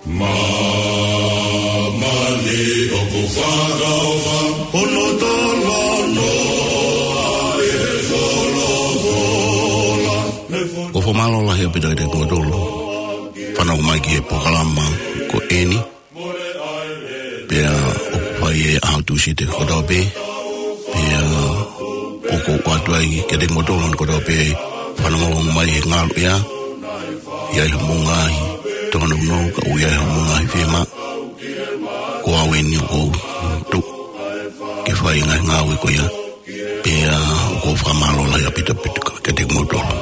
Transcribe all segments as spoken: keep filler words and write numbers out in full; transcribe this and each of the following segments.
Māmani ʻoku fakaʻofa, hono talanoa ʻi he folofola. ʻOku ou fakamālō lahi ʻaupito kiate kimoutolu fanongo mai ki he polokalama ko eni. Pea ʻoku fai ʻe he ʻaho Tūsite kotoa pē. Pea ʻoku ou ʻoatu ai kiate kimoutolu kotoa pē fanongo mai he ngaluʻea. ʻI ai haʻamou ngaahi tōnounou, ka ʻoku ʻi ai haʻamou ngaahi fiemaʻu. Ko au eni ʻoku ou tuʻu ke fai e ngaahi ngāue ko ia. Pea ʻoku ou fakamālō lahi ʻaupito ʻaupito kiate kimoutolu.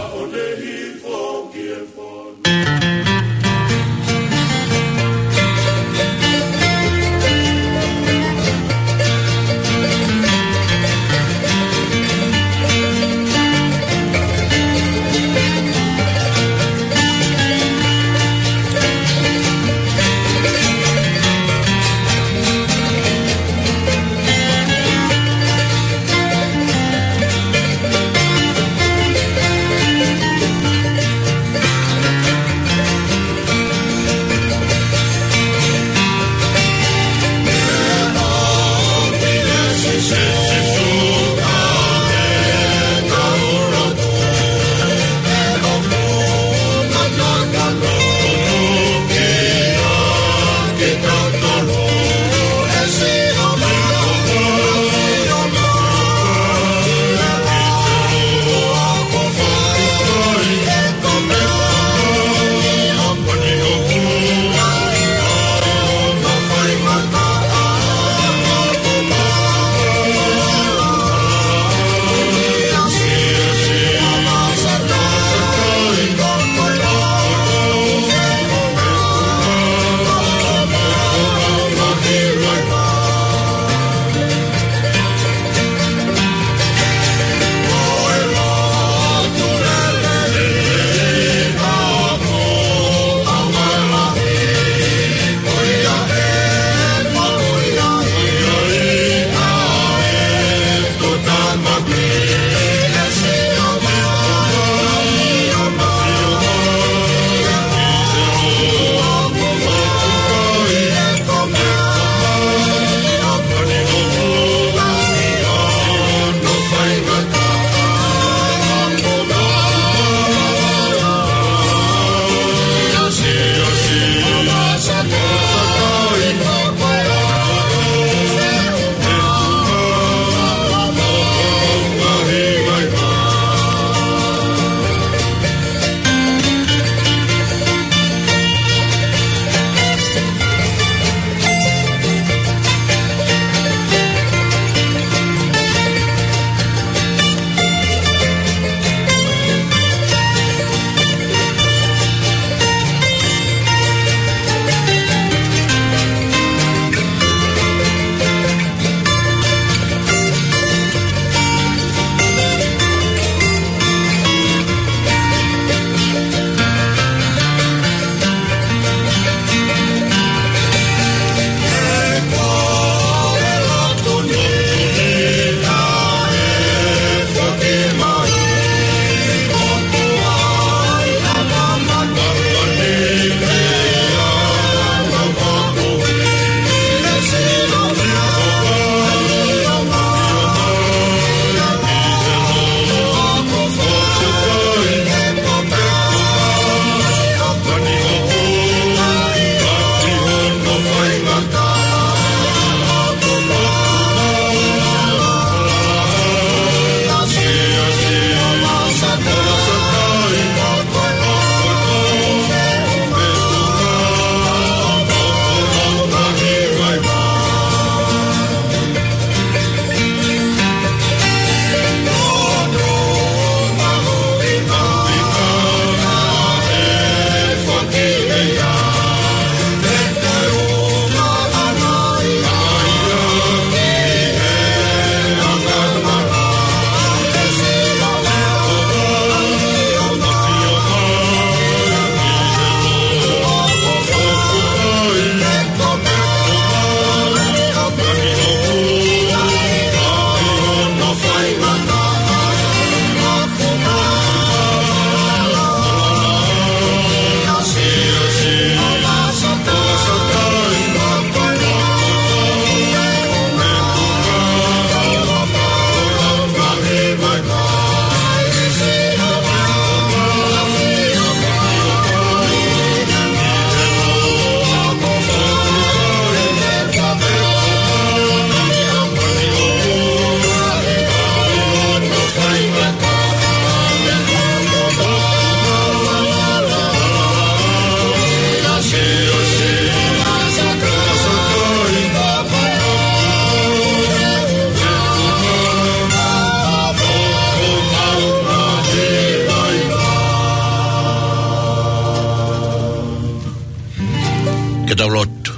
Tau lotu.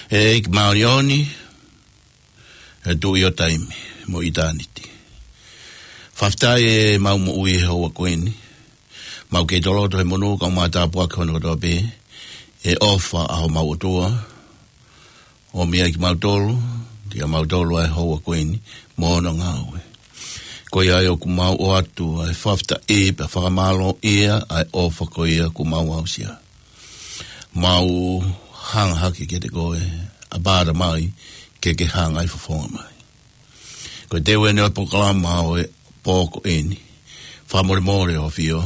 ʻE ʻEiki māʻoniʻoni, ʻe Tuʻi ʻo taimi mo ʻitāniti. Fakafetaʻi ʻemau moʻui he houa ko eni. Mau kei toloto he monū kae ʻumaʻā e tāpuaki hono kotoa pē, ʻi he ʻofa ʻa homau ʻOtua, ʻomi ai kimautolu, kiate kimautolu ʻa e houa ko eni, mo hono ngāue. Ko ia ai ʻoku mau ʻoatu ʻa e fakafetaʻi pea fakamālōʻia ʻa e ʻofa ko ia kuo mau aʻusia. Mau hanga hake kiate koe, ʻApā Tamai, ke ke hangai fofonga mai. Ko e teu eni ʻo e polokalama ʻo e pō ko eni. Fakamolemole ʻOtua ʻAfio,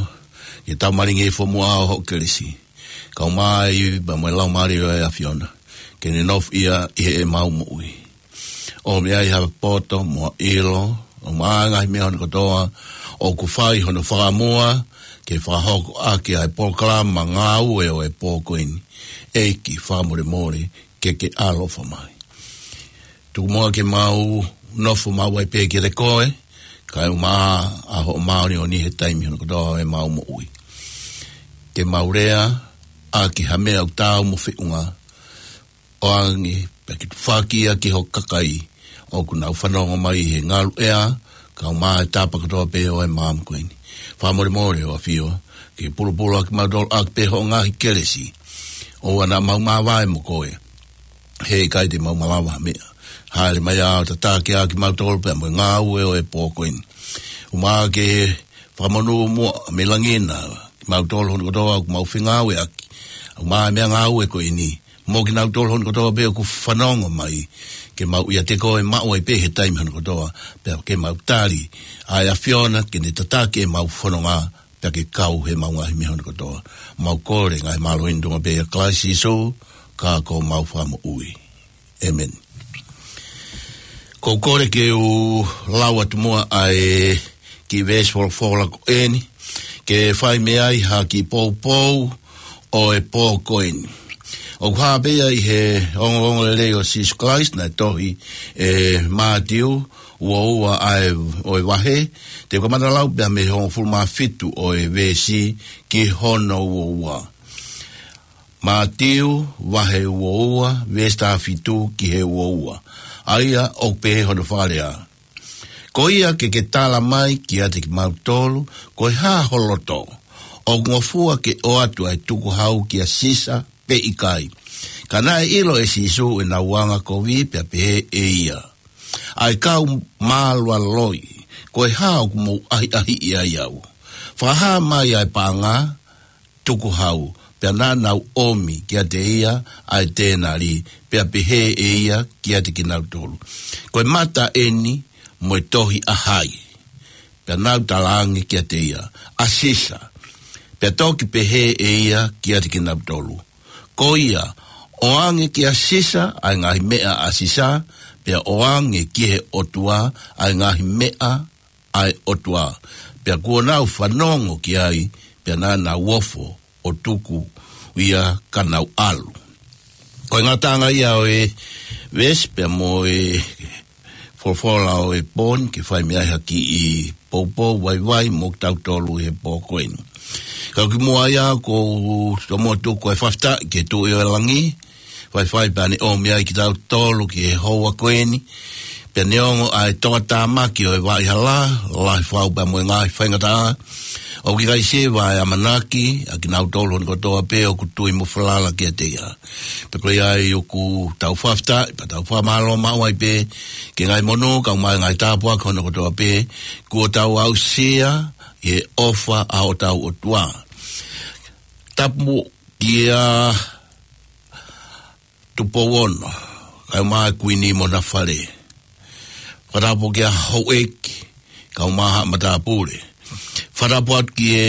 ke tau malingi he fuʻu muʻa ʻo hoʻo kelesi. Kau mai pea mo e Laumālie ʻo e ʻAfiona, ke ne nofoʻia ʻi heʻemau moʻui. ʻOmi ai ha poto mo ha ʻilo, ʻumaʻā e ngaahi meʻa hono kotoa ʻoku fai hono fakamua, ke fakahoko ʻaki ʻa e polokalama ngāue ʻo e pō ko eni. ʻEiki fakamolemole, ke ke ʻaloʻofa mai. Tuku muʻa ke mau nofo maʻu ai pē kiate koe, kae ʻumaʻā ʻa hoʻo māʻoniʻoni he taimi hono kotoa ʻo ʻemau moʻui. Ke mau lea ʻaki ha meʻa ʻoku taau mo feʻunga, ʻoange pea ke tufaki ia ki ho kakai ʻoku nau fanongo mai he ngalu ʻea, kae ʻumaʻā e tapa kotoa pē ʻo e māmani ko eni. Fakamolemole ʻOtua ʻAfio, ke pulupulu ʻaki kimautolu ʻaki pē hoʻo ngaahi kelesi. ʻOua naʻa mau māvae mo koe, he ʻikai te mau malava ha meʻa. Hāʻele mai ʻo tataki ʻaki kimautolu pea mo e ngāue ʻo e pō ko eni. ʻUmaʻā ke fakamonū muʻa mei langi na kimautolu hono kotoa ʻoku mau fengāueʻaki, ʻumaʻā e meʻangāue ko eni, mo kinautolu hono kotoa pē ʻoku fanongo mai, ke mau ʻiate koe maʻu ai pē he taimi hono kotoa, pea ke mau tali ʻa e ʻAfiona ke ne tataki ʻemau fononga, pea ke kau heʻemau ngaahi meʻa hono kotoa. Mau kole ngaahi mālohi ni ʻi he tuʻunga pē ʻo Kalaisi Sīsū, ka ko homau Fakamoʻui. ʻĒmeni. ʻOku ou kole ke u lau atu muʻa ʻa e kiʻi veesi folofola ko eni, ke fai mei ai ha kiʻi poupou ʻo e pō ko eni. ʻOku hā pē ia ʻi he ongoongolelei ʻo Sīsū Kalaisi naʻe tohi ʻe Mātiu, ua ua ʻa e, ʻo e vahe, te u kamata lau pē mei he hongofulu mā fitu ʻo e veesi ki hono ua ua. Mātiu, vahe ua ua, veesi taha fitu ki he ua ua. ʻA ia ʻoku pehē hono fakalea: Ko ia ke ke tala mai kiate kimautolu, ko e hā ho loto, ʻoku ngofua ke ʻoatu ʻa e tukuhau kia Sisa pe ʻikai? Ka naʻe ʻilo ʻe Sīsū ʻenau angakovi pea pehē ʻe ia: ʻA e kau mālualoi, ko e hā ʻoku mou ʻahiʻahiʻi ai au? Fakahā mai ʻa e paʻanga tukuhau. Pea naʻa nau ʻomi kiate ia ʻa e tēnali, pea pehē ʻe ia kiate kinautolu: Ko e mata eni mo e tohi ʻa hai? Pea nau talaange kiate ia: ʻA Sisa. Pea toki pehē ʻe ia kiate kinautolu: Ko ia, ʻoange kia Sisa ʻa e ngaahi meʻa ʻa Sisa, pea ʻoange ki he ʻOtua ʻa e ngaahi meʻa ʻa e ʻOtua. Pea kuo nau fanongo ki ai, pea naʻa nau ofo ʻo tuku ia ka nau ʻalu. Ko e ngataʻanga ia ʻo e veesi pea mo e folofola ʻo e pō ni, ke fai mei ai ha kiʻi poupou vaivai mo kitautolu he pō ko eni. Ka ʻoku ʻi muʻa ia, ʻoku ou tomuʻa tuku ʻa e fakafetaʻi ki he Tuʻi ʻo e langi, faifai pea ne ʻomi ai kitautolu ki he houa ko eni, pea neongo ʻa e tokatāmaki ʻo e vaʻa hala, lahi fau pea mo e ngaahi faingataʻa, ʻoku ʻikai siva ʻa e ʻamanaki ʻa kinautolu hono kotoa pē ʻoku tui mo falala kiate ia. Pea ko ia ai ʻoku tau fakafetaʻi, pea tau fakamālō maʻu ai pē, ki he ngaahi monū, kae ʻumaʻā e ngaahi tāpuaki hono kotoa pē, kuo tau aʻusia ʻi he ʻofa ʻa hotau ʻOtua. Tapu kia Tupou Ono, kae ʻumaʻā e Kuini mo hona fale. Fakatapu kia Houʻeiki, kae ʻumaʻā haʻa matāpule. Fakatapu atu ki he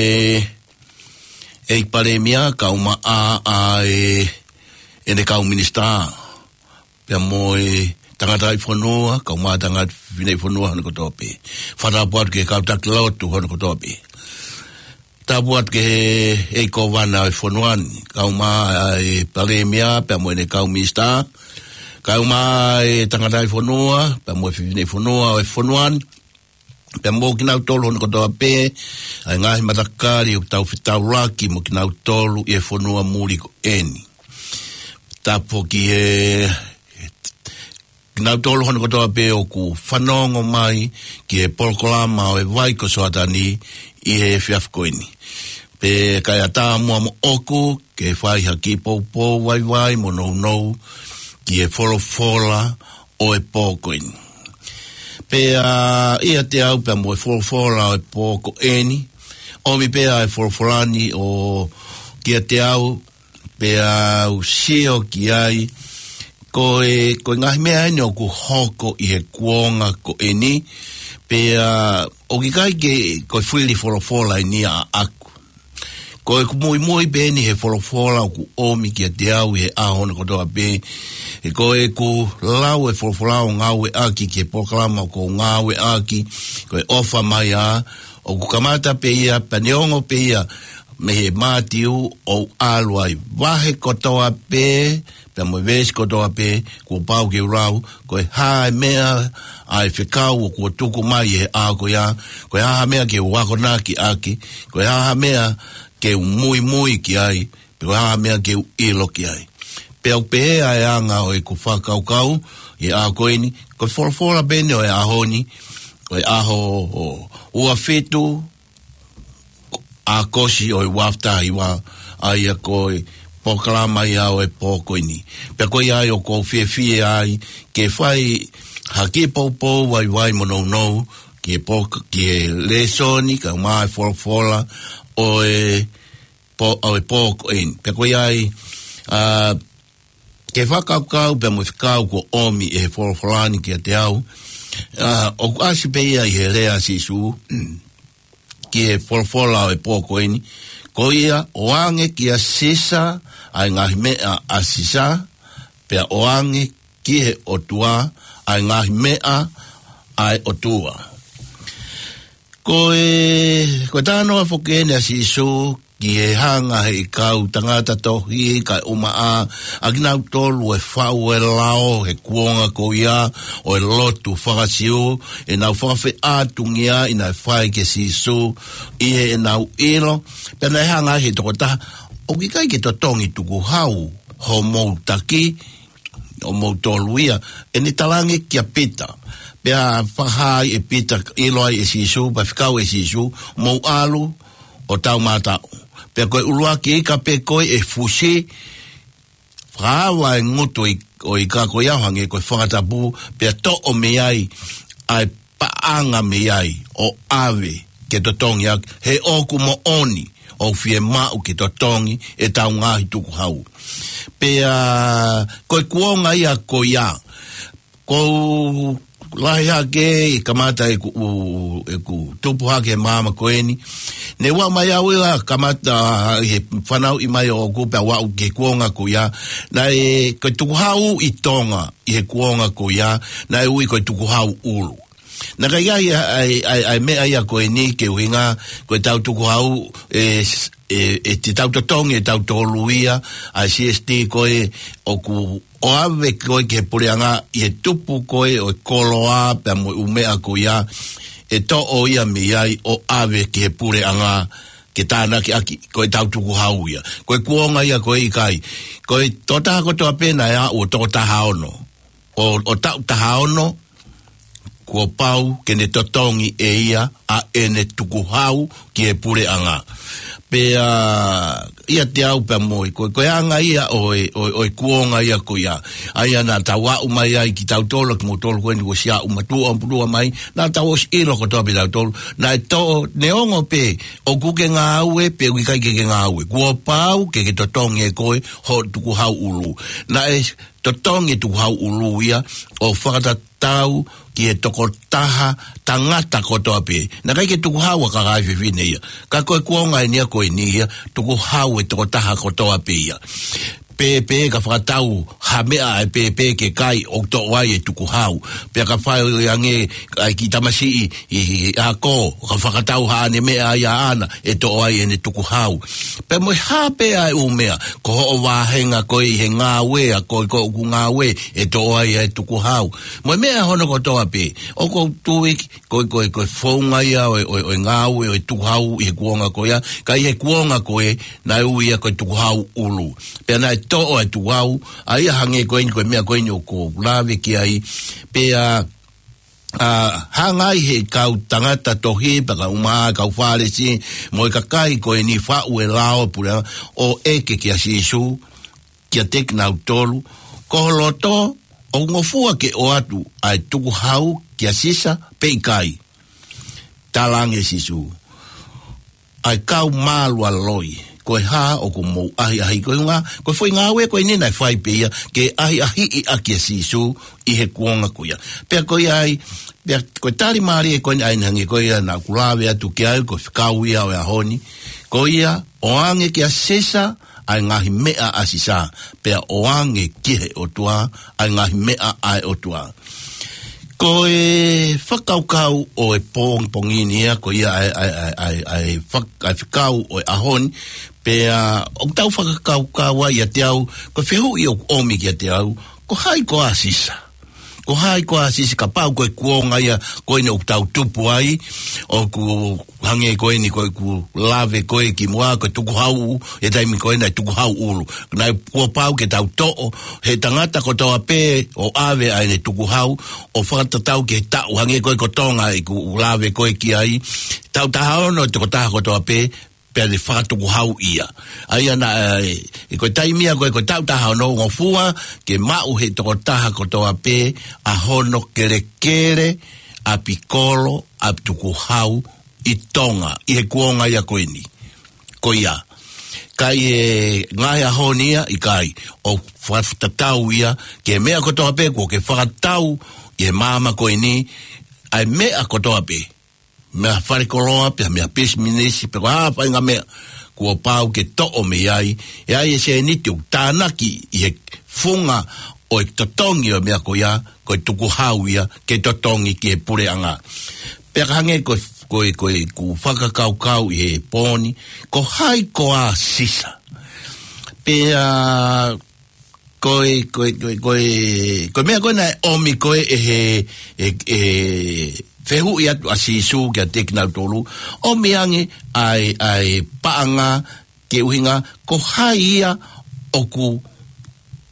ʻEiki Palēmia, kae ʻumaʻā ʻa e, ʻene kau minisitā, pea mo e tangataʻi fonua, kae ʻumaʻā e tangataʻi fefine fonua hono kotoa pē. Fakatapu atu ki he kau taki lotu hono kotoa pē. Tapu atu ki he ʻEiki Kōvana ʻo e fonua ni, kae ʻumaʻā e Palēmia, pea mo ʻene kau minisitā, kae ʻumaʻā e tangataʻi fonua, pea mo e fefine fonua ʻo e fonua ni, pea mo kinautolu hono kotoa pē, ʻa e ngaahi matakali ʻoku tau fetaulaki mo kinautolu ʻi he fonua muli ko eni. Tapu ki he, kinautolu hono kotoa pē ʻoku fanongo mai ki he polokalama ʻo e Vai ko Soatani ʻi he efiafi ko eni. Pea kae ʻatā muʻa moʻoku ke fai ha kiʻi poupou vaivai mo nounou ki he folofola ʻo e pō ko eni. Pea ʻiate au pea mo e folofola ʻo e pō ko eni, ʻomi pē ʻa e folofola ni ʻo kiate au, pea u sio ki ai, ko e, ko e ngaahi meʻa eni ʻoku hoko ʻi he kuonga ko eni, pea ʻoku ʻikai ke, ko e fili folofola eni ʻaʻaku. Ko ʻeku muimui pē eni he folofola ʻoku ʻomi kiate au ʻi he ʻaho ni kotoa pē. He ko ʻeku lau e folofola ʻo ngāueʻaki ki he polokalama ʻoku ou ngāueʻaki, ko e ʻOfa Mai Ā, ʻoku kamata pē ia, pea neongo pē ia mei he Mātiu ʻo ʻalu ai. Vahe kotoa pē, pea mo e veesi kotoa pē, kuo pau ke u lau, ko e hā e meʻa ʻa e fekau ʻoku tuku mai ʻi he ʻaho ko ia, ko e hā ha meʻa ke u akonaki ʻaki, ko e hā ha meʻa ke u muimui ki ai, pe ko e hā ha meʻa ke u ʻilo ki ai. Pea ʻoku pehē ʻa e anga ʻo ʻeku fakakaukau ʻi he ʻaho ko eni, ko e folofola pē eni ʻo e ʻaho ni, ʻo e ʻaho ʻo ua fitu, ʻAokosi ʻo e ua afe taha hiva, ʻa ia ko e polokalama ia ʻo e pō ko eni. Pea ko ia ai ʻoku ou fiefia ai ke fai ha kiʻi poupou vaivai mo nounou ki he pō, ki he lēsoni, kae ʻumaʻā e folofola ʻo e pō, ʻo e pō ko eni. Pea ko ia ai, ā, ke fakakaukau pea mo e fekau kuo ʻomi ʻe he folofola ni kiate au. Ā, ʻoku ʻasi pē ia ʻi he lea ʻa Sīsū ki he folofola ʻo e pō ko eni. Ko ia, ʻoange kia Sisa ʻa e ngaahi meʻa ʻa Sisa, pea ʻoange ki he ʻOtua ʻa e ngaahi meʻa ʻa e ʻOtua. Ko e, ko e talanoa foki eni ʻa Sīsū ki he hanga ʻe he kau tangata tohi kae ʻumaʻā ʻa kinautolu ʻe fau e lao he kuonga ko ia ʻo e lotu faka-Siu, ʻenau fakafeʻātungia ʻi naʻe fai kia Sīsū ʻi heʻenau ʻilo, pea naʻe hanga ʻe he tokotaha, ʻoku ʻikai ke totongi tukuhau homou taki, ʻo moutolu ia, ʻene talaange kia Pita. Pea fakahā ai ʻe Pita, ʻilo ai ʻe Sīsū, pea fekau ʻe Sīsū, mou ʻalu ʻo taumātaʻu. Pea ko e ʻuluaki ika pē ko ē ʻe fusi, fakaava e ngutu ʻo e ika ko ia ʻo hangē ko e fakatapu, pea toʻo mei ai ʻa e paʻanga mei ai ʻo ʻave ke totongi ʻaki, he ʻoku moʻoni ʻoku fiemaʻu ke totongi ʻetau ngaahi tukuhau. Pea ko e kuonga ia ko ia, ʻoku ou lahi hake, ʻi he kamata ʻeku, ʻeku tupu hake he māmani ko eni, ne u aʻu mai au ia kamata ʻi he fanauʻi mai ʻoʻoku pea u aʻu ki he kuonga ko ia, naʻe ko e tukuhau ʻi Tonga ʻi he kuonga ko ia, naʻe ui ko e tukuhau ʻulu. Naʻe ʻikai ʻi ai ʻa e, ʻa e, ʻa e meʻa ia ko eni ke ʻuhinga ko ʻetau tukuhau, ʻe, ʻe, ʻe te tau totongi ʻe tautolu ia, ʻa e C S T ko ē ʻoku ʻave ko ē ki he puleʻanga ʻi he tupu ko ē ʻo e koloa pea mo e ʻū meʻa ko ia, ʻe toʻo ia mei ai ʻo ʻave ki he puleʻanga ke tānaki ʻaki, ko ʻetau tukuhau ia. Ko e kuonga ia ko ē ʻikai. Ko e tokotaha kotoa pē naʻe aʻu ʻo toko taha ono, ʻo, ʻo taʻu taha ono, kuo pau ke ne totongi ʻe ia ʻa ʻene tukuhau ki he puleʻanga. Pea ʻiate au pea mo ia, ko, ko e anga ia ʻo e, ʻo, ʻo e kuonga ia ko ia. ʻA ia naʻa tau aʻu mai ai kitautolu, kimoutolu ko eni kuo ʻosi aʻu matuʻotuʻa mai, naʻa tau ʻosi ʻilo kotoa pē tautolu. Naʻe toʻo, neongo pē ʻoku ke ngāue pe ʻoku ʻikai ke ke ngāue, kuo pau ke ke totongi ʻe koe hoʻo tukuhau ʻulu. Naʻe totongi e tukuhau ʻulu ia ʻo fakatatau ki he tokotaha tangata kotoa pē. Naʻe ʻikai ke tukuhau ʻa e kakai fefine ia. Ka ko e kuonga eni ia ko eni ia, tukuhau e tokotaha kotoa pē ia. Pea, pea ka fakatau ha ha meʻa ʻe pēpē ke kai ʻoku toʻo ai e tukuhau. Pea ka fai ange ʻa e kiʻi tamasiʻi ʻi, ʻi, ʻi ako, ka fakatau haʻane meʻa ia ʻaʻana ʻe toʻo ai ʻene tukuhau. Pea mo e hā pē ʻa e ʻū meʻa, ko hoʻo vāhenga koe ʻi he ngāue, ʻa koe ko ʻoku ngāue, ʻe toʻo ai ʻa e tukuhau. Mo e meʻa hono kotoa pē, ʻoku ou tui ko e, ko e, ko e founga ia ʻo e, ʻo e, ʻo e ngāue ʻo e tukuhau ʻi he kuonga ko ia, ka ʻi he kuonga ko ē, naʻe ui ia ko e tukuhau ʻulu. Pea naʻe toʻo e tukuhau, ʻa ia hangē ko eni ko e meʻa ko eni ʻoku ou lave ki ai, pea, ʻa, hanga ai he kau tangata tohi, pea kau mā, kau Fālesi, mo e kakai ko eni faʻu e lao pule, ʻo ʻeke kia Sīsū, kiate kinautolu, ko ho loto, ʻoku ngofua ke ʻoatu ʻa e tukuhau kia Sisa pe ʻikai? Talaange Sīsū, ʻa e kau mālualoi, ko e hā ʻoku mou ʻahiʻahiʻi? Ko e ngā, ko e foʻi ngāue ko eni naʻe fai pē ia, ke ʻahiʻahiʻi ʻaki ʻa Sīsū ʻi he kuonga ko ia. Pea ko ia ai, pea ko e tali mālie ko eni ʻa eni hangē ko ia naʻa ku lave atu ki ai, ko e fekau ia ʻo e ʻaho ni. Ko ia, ʻoange kia Sisa ʻa e ngaahi meʻa ʻa Sisa, pea ʻoange ki he ʻOtua ʻa e ngaahi meʻa ʻa e ʻOtua. Ko e fakakaukau ʻo e pongipongi ni ia, ko ia ʻa e, ʻa e, ʻa e, ʻa e, ʻa e fak-, ʻa e fekau ʻo e ʻaho ni, pea ʻoku tau fakakaukau ai ʻiate au, ko e fehuʻi ʻoku ʻomi kiate au, ko hai koā Sisa? Ko hai koā Sisa? Kapau ko e kuonga ia ko eni ʻoku tau tupu ai, ʻoku hangē ko eni ko ʻeku lave ko ē kimuʻa, ko e tukuhau, he taimi ko ē naʻe tukuhau ʻulu. Naʻe kuo pau ke tau toʻo he tangata kotoa pē ʻo ʻave ʻa ʻene tukuhau, ʻo fakatatau ki he taʻu, hangē ko ē ko Tonga ʻeku lave ko ē ki ai, taʻu taha ono tokotaha kotoa pē, pea ne fakatukuhau ia. ʻA ia naʻe, ʻi ko e taimi ia ko ē ko e taʻu taha ono, ngofua ke maʻu he tokotaha kotoa pē ʻa hono kelekele ʻapikolo, ʻapitukuhau ʻi Tonga, ʻi he kuonga ia ko eni. Ko ia. Ka ʻi he ngaahi ʻaho ni ia, ʻikai, ʻoku fakatatau ia ki he meʻa kotoa pē kuo ke fakatau ʻi he māmani ko eni, ʻa e meʻa kotoa pē, meʻa falekoloa, pea meʻa pisinisi, pe ko ha faʻahinga meʻa, kuo pau ke toʻo mei ai, ʻe ʻi ai e sēniti ʻoku tānaki ʻi he funga ʻo e totongi ʻo e meʻa ko ia, ko e tukuhau ia, ke totongi ki he puleʻanga. Pea ka hangē ko e, ko e, ko ʻeku fakakaukau ʻi he pō ni, ko hai koā Sisa? Pea ko e, ko e, ko e, ko e, ko e meʻa ko ē naʻe ʻomi ko ē ʻe he, ʻe, ʻe fehuʻi atu ʻa Sīsū kiate kinautolu, ʻomi ange ʻa e, ʻa e paʻanga ke ʻuhinga, ko hai ia ʻoku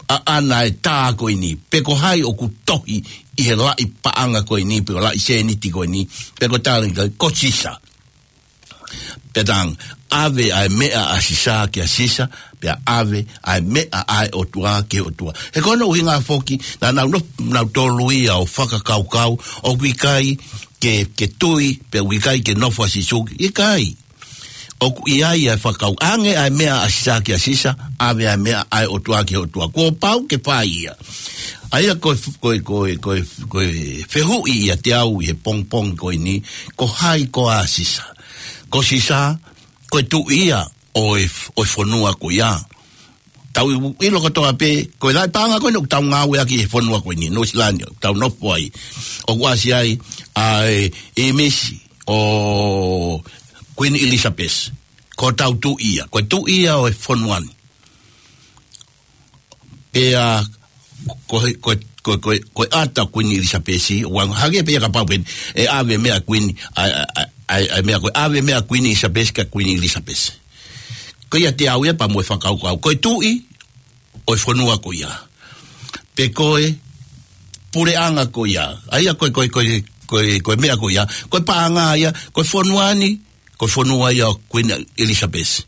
ʻaʻana e tā ko eni, pe ko hai ʻoku tohi ʻi he laʻi paʻanga ko eni, pe ko e laʻi sēniti ko eni, pe ko e tālanga, ko Sisa. Pea tang, ʻave ʻa e meʻa ʻa Sisa kia Sisa, pea ʻave ʻa e meʻa ʻa e ʻOtua ki he ʻOtua. He ko hono ʻuhinga foki, naʻa nau nof-, nautolu ia ʻo fakakaukau, ʻoku ʻikai ke, ke tui, pea ʻoku ʻikai ke nofo ʻa Sīsū, ʻikai. ʻOku ʻi ai ʻa e fakakau, ʻange ʻa e meʻa ʻa Sisa kia Sisa, ʻave ʻa e meʻa ʻa e ʻOtua ki he ʻOtua. Kuo pau ke fai ia. ʻA ia ko e f-, ko e, ko e, ko e, ko e fehuʻi ʻiate au ʻi he pongipongi ko eni, ko hai koā Sisa? Ko Sisa, ko e tuʻi ia ʻo e f-, ʻo e fonua ko ia. Tau ʻilo kotoa pē, ko e laʻi paʻanga ko eni ʻoku tau ngāueʻaki he fonua ko eni, Nuʻusila ni, ʻoku tau nofo ai. ʻOku ʻasi ai ʻa e ʻīmisi ʻo Kuini ʻIlisapesi. Ko hotau tuʻi ia, ko e tuʻi ia ʻo e fonua ni. Pea ko e, ko e, ko e, ko e, ko e ʻata Kuini ʻIlisapesi, ʻoku hangē pē ia kapau pē ʻe ʻave meʻa Kuini, ʻa e, ʻa e, ʻa e, ʻa e meʻa ko e ʻave meʻa Kuini ʻIlisapesi kia Kuini ʻIlisapesi. Ko ia ʻiate au ia pea mo e fakakaukau. Ko e tuʻi ʻo e fonua ko ia. Pe ko e puleʻanga ko ia. ʻA ia ko e, ko e, ko e, ko e, ko e meʻa ko ia. Ko e paʻanga ia, ko e fonua ni, ko e fonua ia ʻo Kuini ʻIlisapesi.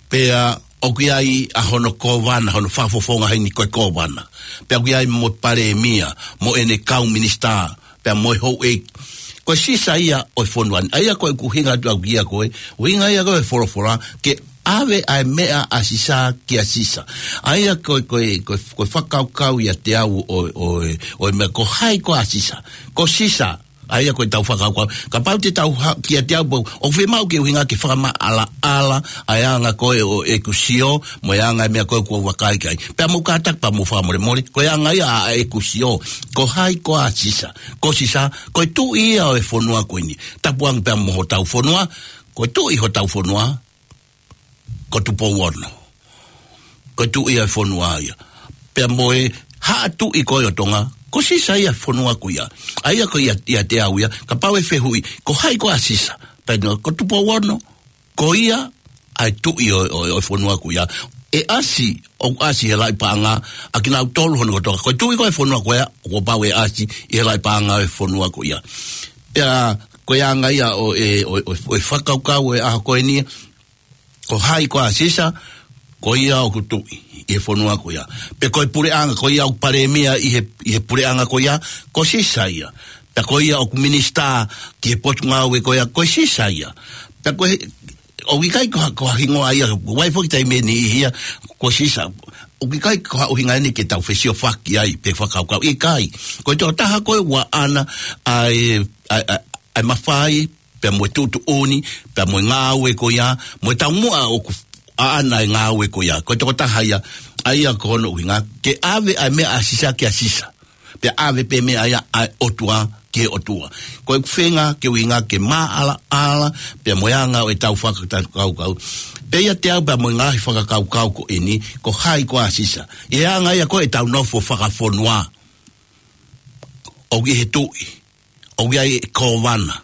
Pea ʻoku ʻi ai ʻa hono kōvana, hono fakafofonga heni ko e kōvana. Pea ʻoku ʻi ai mo e palēmia, mo ʻene kau minisitā, pea mo e houʻeiki. Ko e Sisa ia ʻo e fonua ni. ʻA ia ko ʻeku ʻuhinga atu au kia koe, ʻuhinga ia ko e folofola, ke ʻave ʻa e meʻa ʻa Sisa kia Sisa. ʻA ia ko e, ko e, ko e, ko e fakakaukau ʻiate au ʻo, ʻo, ʻo e meʻa ko hai koā Sisa. Ko Sisa, ʻA ia ko ʻetau fakakaukau. Kapau te tau ha-, kiate au pau, ʻoku fiemaʻu ke ʻuhinga ke fakamaʻalaʻala ʻa e anga ko ē ʻo ʻeku sio, mo e anga e meʻa ko ē kuo u vakai ki ai. Pea mou kātaki pea mou fakamolemole, ko e anga ia ʻa ʻeku sio. Ko hai koā Sisa? Ko Sisa, ko e tuʻi ia ʻo e fonua ko eni. Tapu ange pea mo hotau fonua, ko e tuʻi hotau fonua ko Tupou Ono. Ko e tuʻi ia ʻo e fonua ia. Pea mo e haʻa tuʻi ko ē ʻo Tonga, ko Sisa ia ʻo e fonua ko ia. ʻA ia ko ia, ʻiate au ia, kapau ʻe fehuʻi, ko hai koā Sisa? Pea no, ko Tupou Ono, ko ia ʻa e tuʻi ʻo, ʻo, ʻo e fonua ko ia. ʻE ʻasi, ʻoku ʻasi he laʻi paʻanga ʻa kinautolu hono kotoa. Ko e tuʻi ko ē ʻo e fonua ko ia, kuo pau ʻe ʻasi ʻi he laʻi paʻanga ʻo e fonua ko ia. Pea ko e anga ia ʻo e, ʻo, ʻo, ʻo e fakakaukau ʻo e ʻaho ko eni, ko hai koā Sisa? Ko ia ʻoku tuʻi ʻi he fonua ko ia. Pea ko e puleʻanga, ko ia ʻoku palēmia ʻi he, ʻi he puleʻanga ko ia, ko Sisa ia. Pea ko ia ʻoku minisitā ki he potungāue ko ia, ko Sisa ia. Pea ko e, ʻoku ʻikai ko ha, ko ha hingoa ia, ʻoku ʻi ai foki taimi ʻe niʻihi ia, ko Sisa. ʻOku ʻikai ko ha ʻuhinga eni ke tau fesiofaki ai, pe fakakaukau. ʻIkai. Ko e tokotaha ko ē ʻoku ʻaʻana ʻa e, ʻa e, ʻa e, ʻa e mafai, pea mo e tuʻutuʻuni, pea mo e ngāue ko ia, mo e taumuʻa ʻoku ʻaʻana e ngāue ko ia. Ko e tokotaha ia, ʻa ia ko hono ʻuhinga, ke ʻave ʻa e meʻa ʻa Sisa kia Sisa. Pea ʻave pē meʻa ia ʻa e ʻOtua ki he ʻOtua. Ko ʻeku feinga ke ʻuhinga ke maʻalaʻala, pea mo e anga ʻo ʻetau fakakaukau. Pea ʻiate au pea mo e ngaahi fakakaukau ko eni, ko hai koā Sisa? ʻI he anga ia ko ē ʻetau nofo fakafonua. ʻOku ʻi ai e tuʻi, ʻoku ʻi ai e kōvana,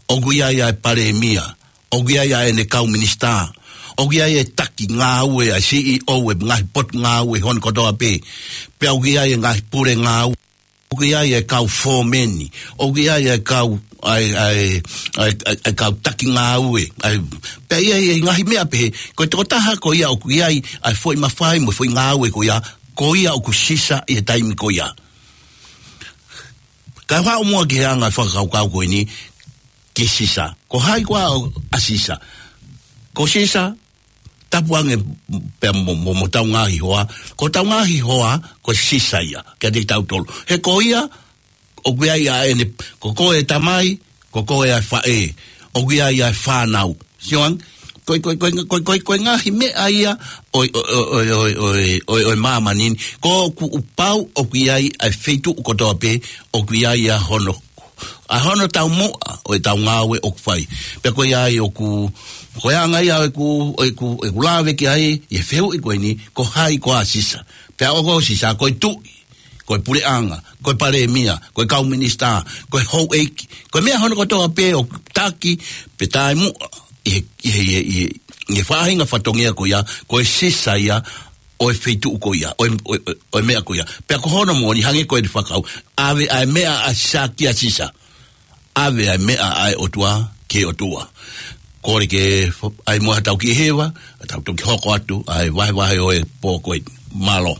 ʻoku ʻi ai ʻa e palēmia, ʻoku ʻi ai ʻa ʻene kau minisitā, ʻoku ʻi ai e taki ngāue ʻa e C E O ʻo e ngaahi potungāue hono kotoa pē, pea ʻoku ʻi ai e ngaahi pule ngāue, ʻoku ʻi ai e kau fōmeni, ʻoku ʻi ai e kau, ʻa e, ʻa e, ʻa e, ʻa e, ʻa e kau taki ngāue, ʻa e, pea ʻi ai e ngaahi meʻa pehē, ko e tokotaha ko ia ʻoku ʻi ai ʻa e foʻi mafai mo e foʻi ngāue ko ia, ko ia ʻoku Sisa ʻi he taimi ko ia. Kae haʻu muʻa ki he anga e fakakaukau ko eni, ki Sisa. Ko hai koā ʻa Sisa? Ko Sisa, tapu ange pea mo, mo, mo hotau ngaahi hoa. Ko hotau ngaahi hoa, ko Sisa ia, kiate kitautolu. He ko ia, ʻoku ʻi ai ʻa ʻene, ko koe ʻa e tamai, ko koe ʻa e faʻē. ʻOku ʻi ai ʻa e fānau. Sio ange, ko e, ko e, ko e, ko e, ko e, ko e ngaahi meʻa ia ʻo e, ʻo e, ʻo e māmani ni. Ko ʻoku pau ʻoku ʻi ai ʻa e feituʻu kotoa pē, ʻoku ʻi ai ʻa hono, ʻa hono taumuʻa ʻo ʻetau ngāue ʻoku fai. Pea ko ia ai ʻoku, ko e anga ia ʻeku, ʻeku, ʻeku lave ki ai, ʻi he fehuʻi ko eni, ko hai koā Sisa? Pea ʻoku ko Sisa, ko e tuʻi, ko e puleʻanga, ko e palēmia, ko e kau minisitā, ko e houʻeiki, ko e meʻa hono kotoa pē ʻoku taki, pe taumuʻa, ʻi he, ʻi he, ʻi he, ʻi he, ʻi he faʻahinga fatongia ko ia, ko e Sisa ia ʻo e feituʻu ko ia, ʻo e, ʻo e, ʻo e meʻa ko ia. Pea ko hono moʻoni hangē ko ʻene fakakaukau, ʻave ʻa e meʻa ʻa Sisa kia Sisa. ʻAve ʻa e meʻa ʻa e ʻOtua ki he ʻOtua. Kole ke f-, ʻai muʻa haʻatau kiʻi hiva, ʻa tau toki hoko atu ʻa e vahevahe ʻo e pō ko eni. Mālō.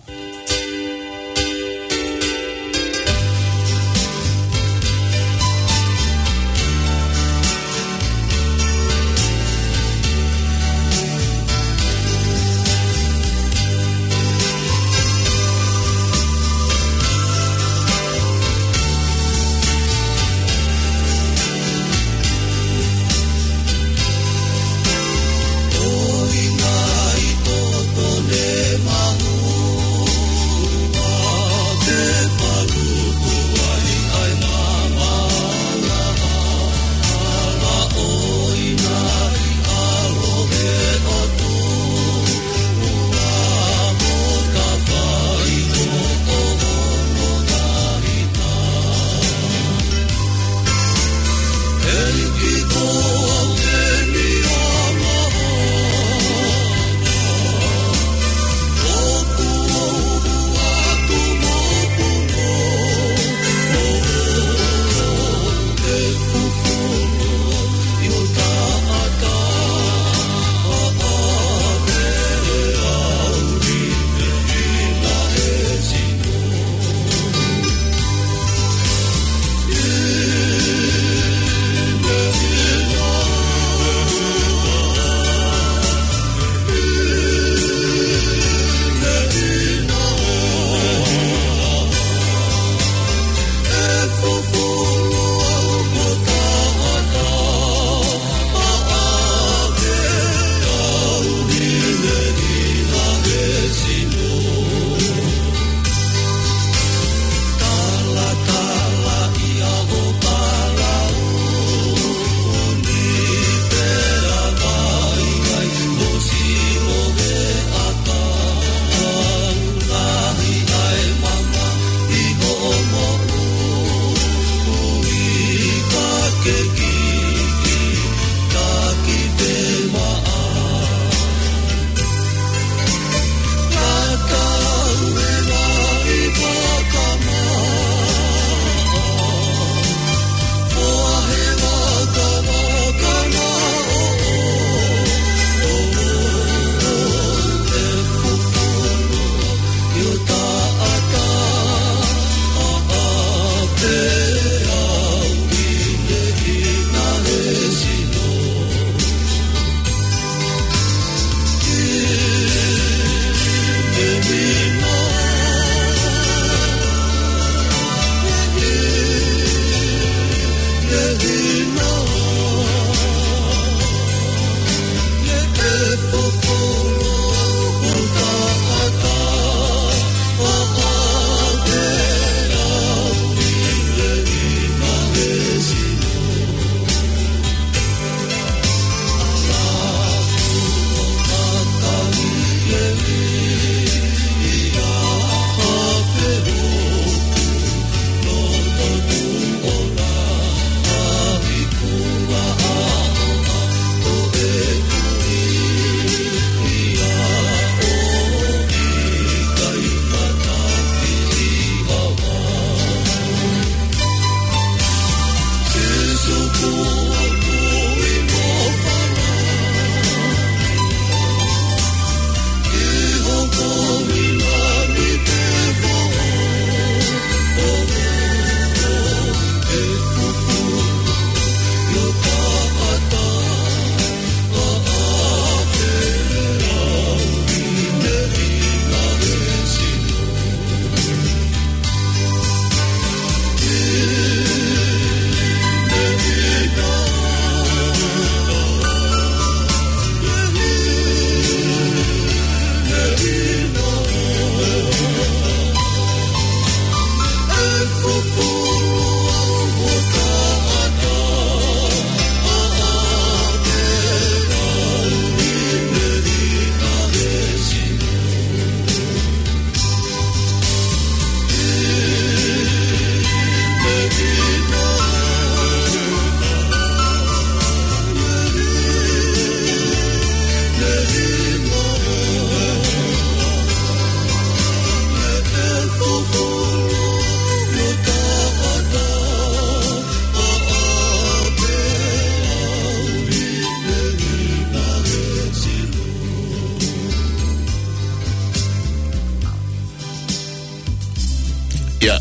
Ia,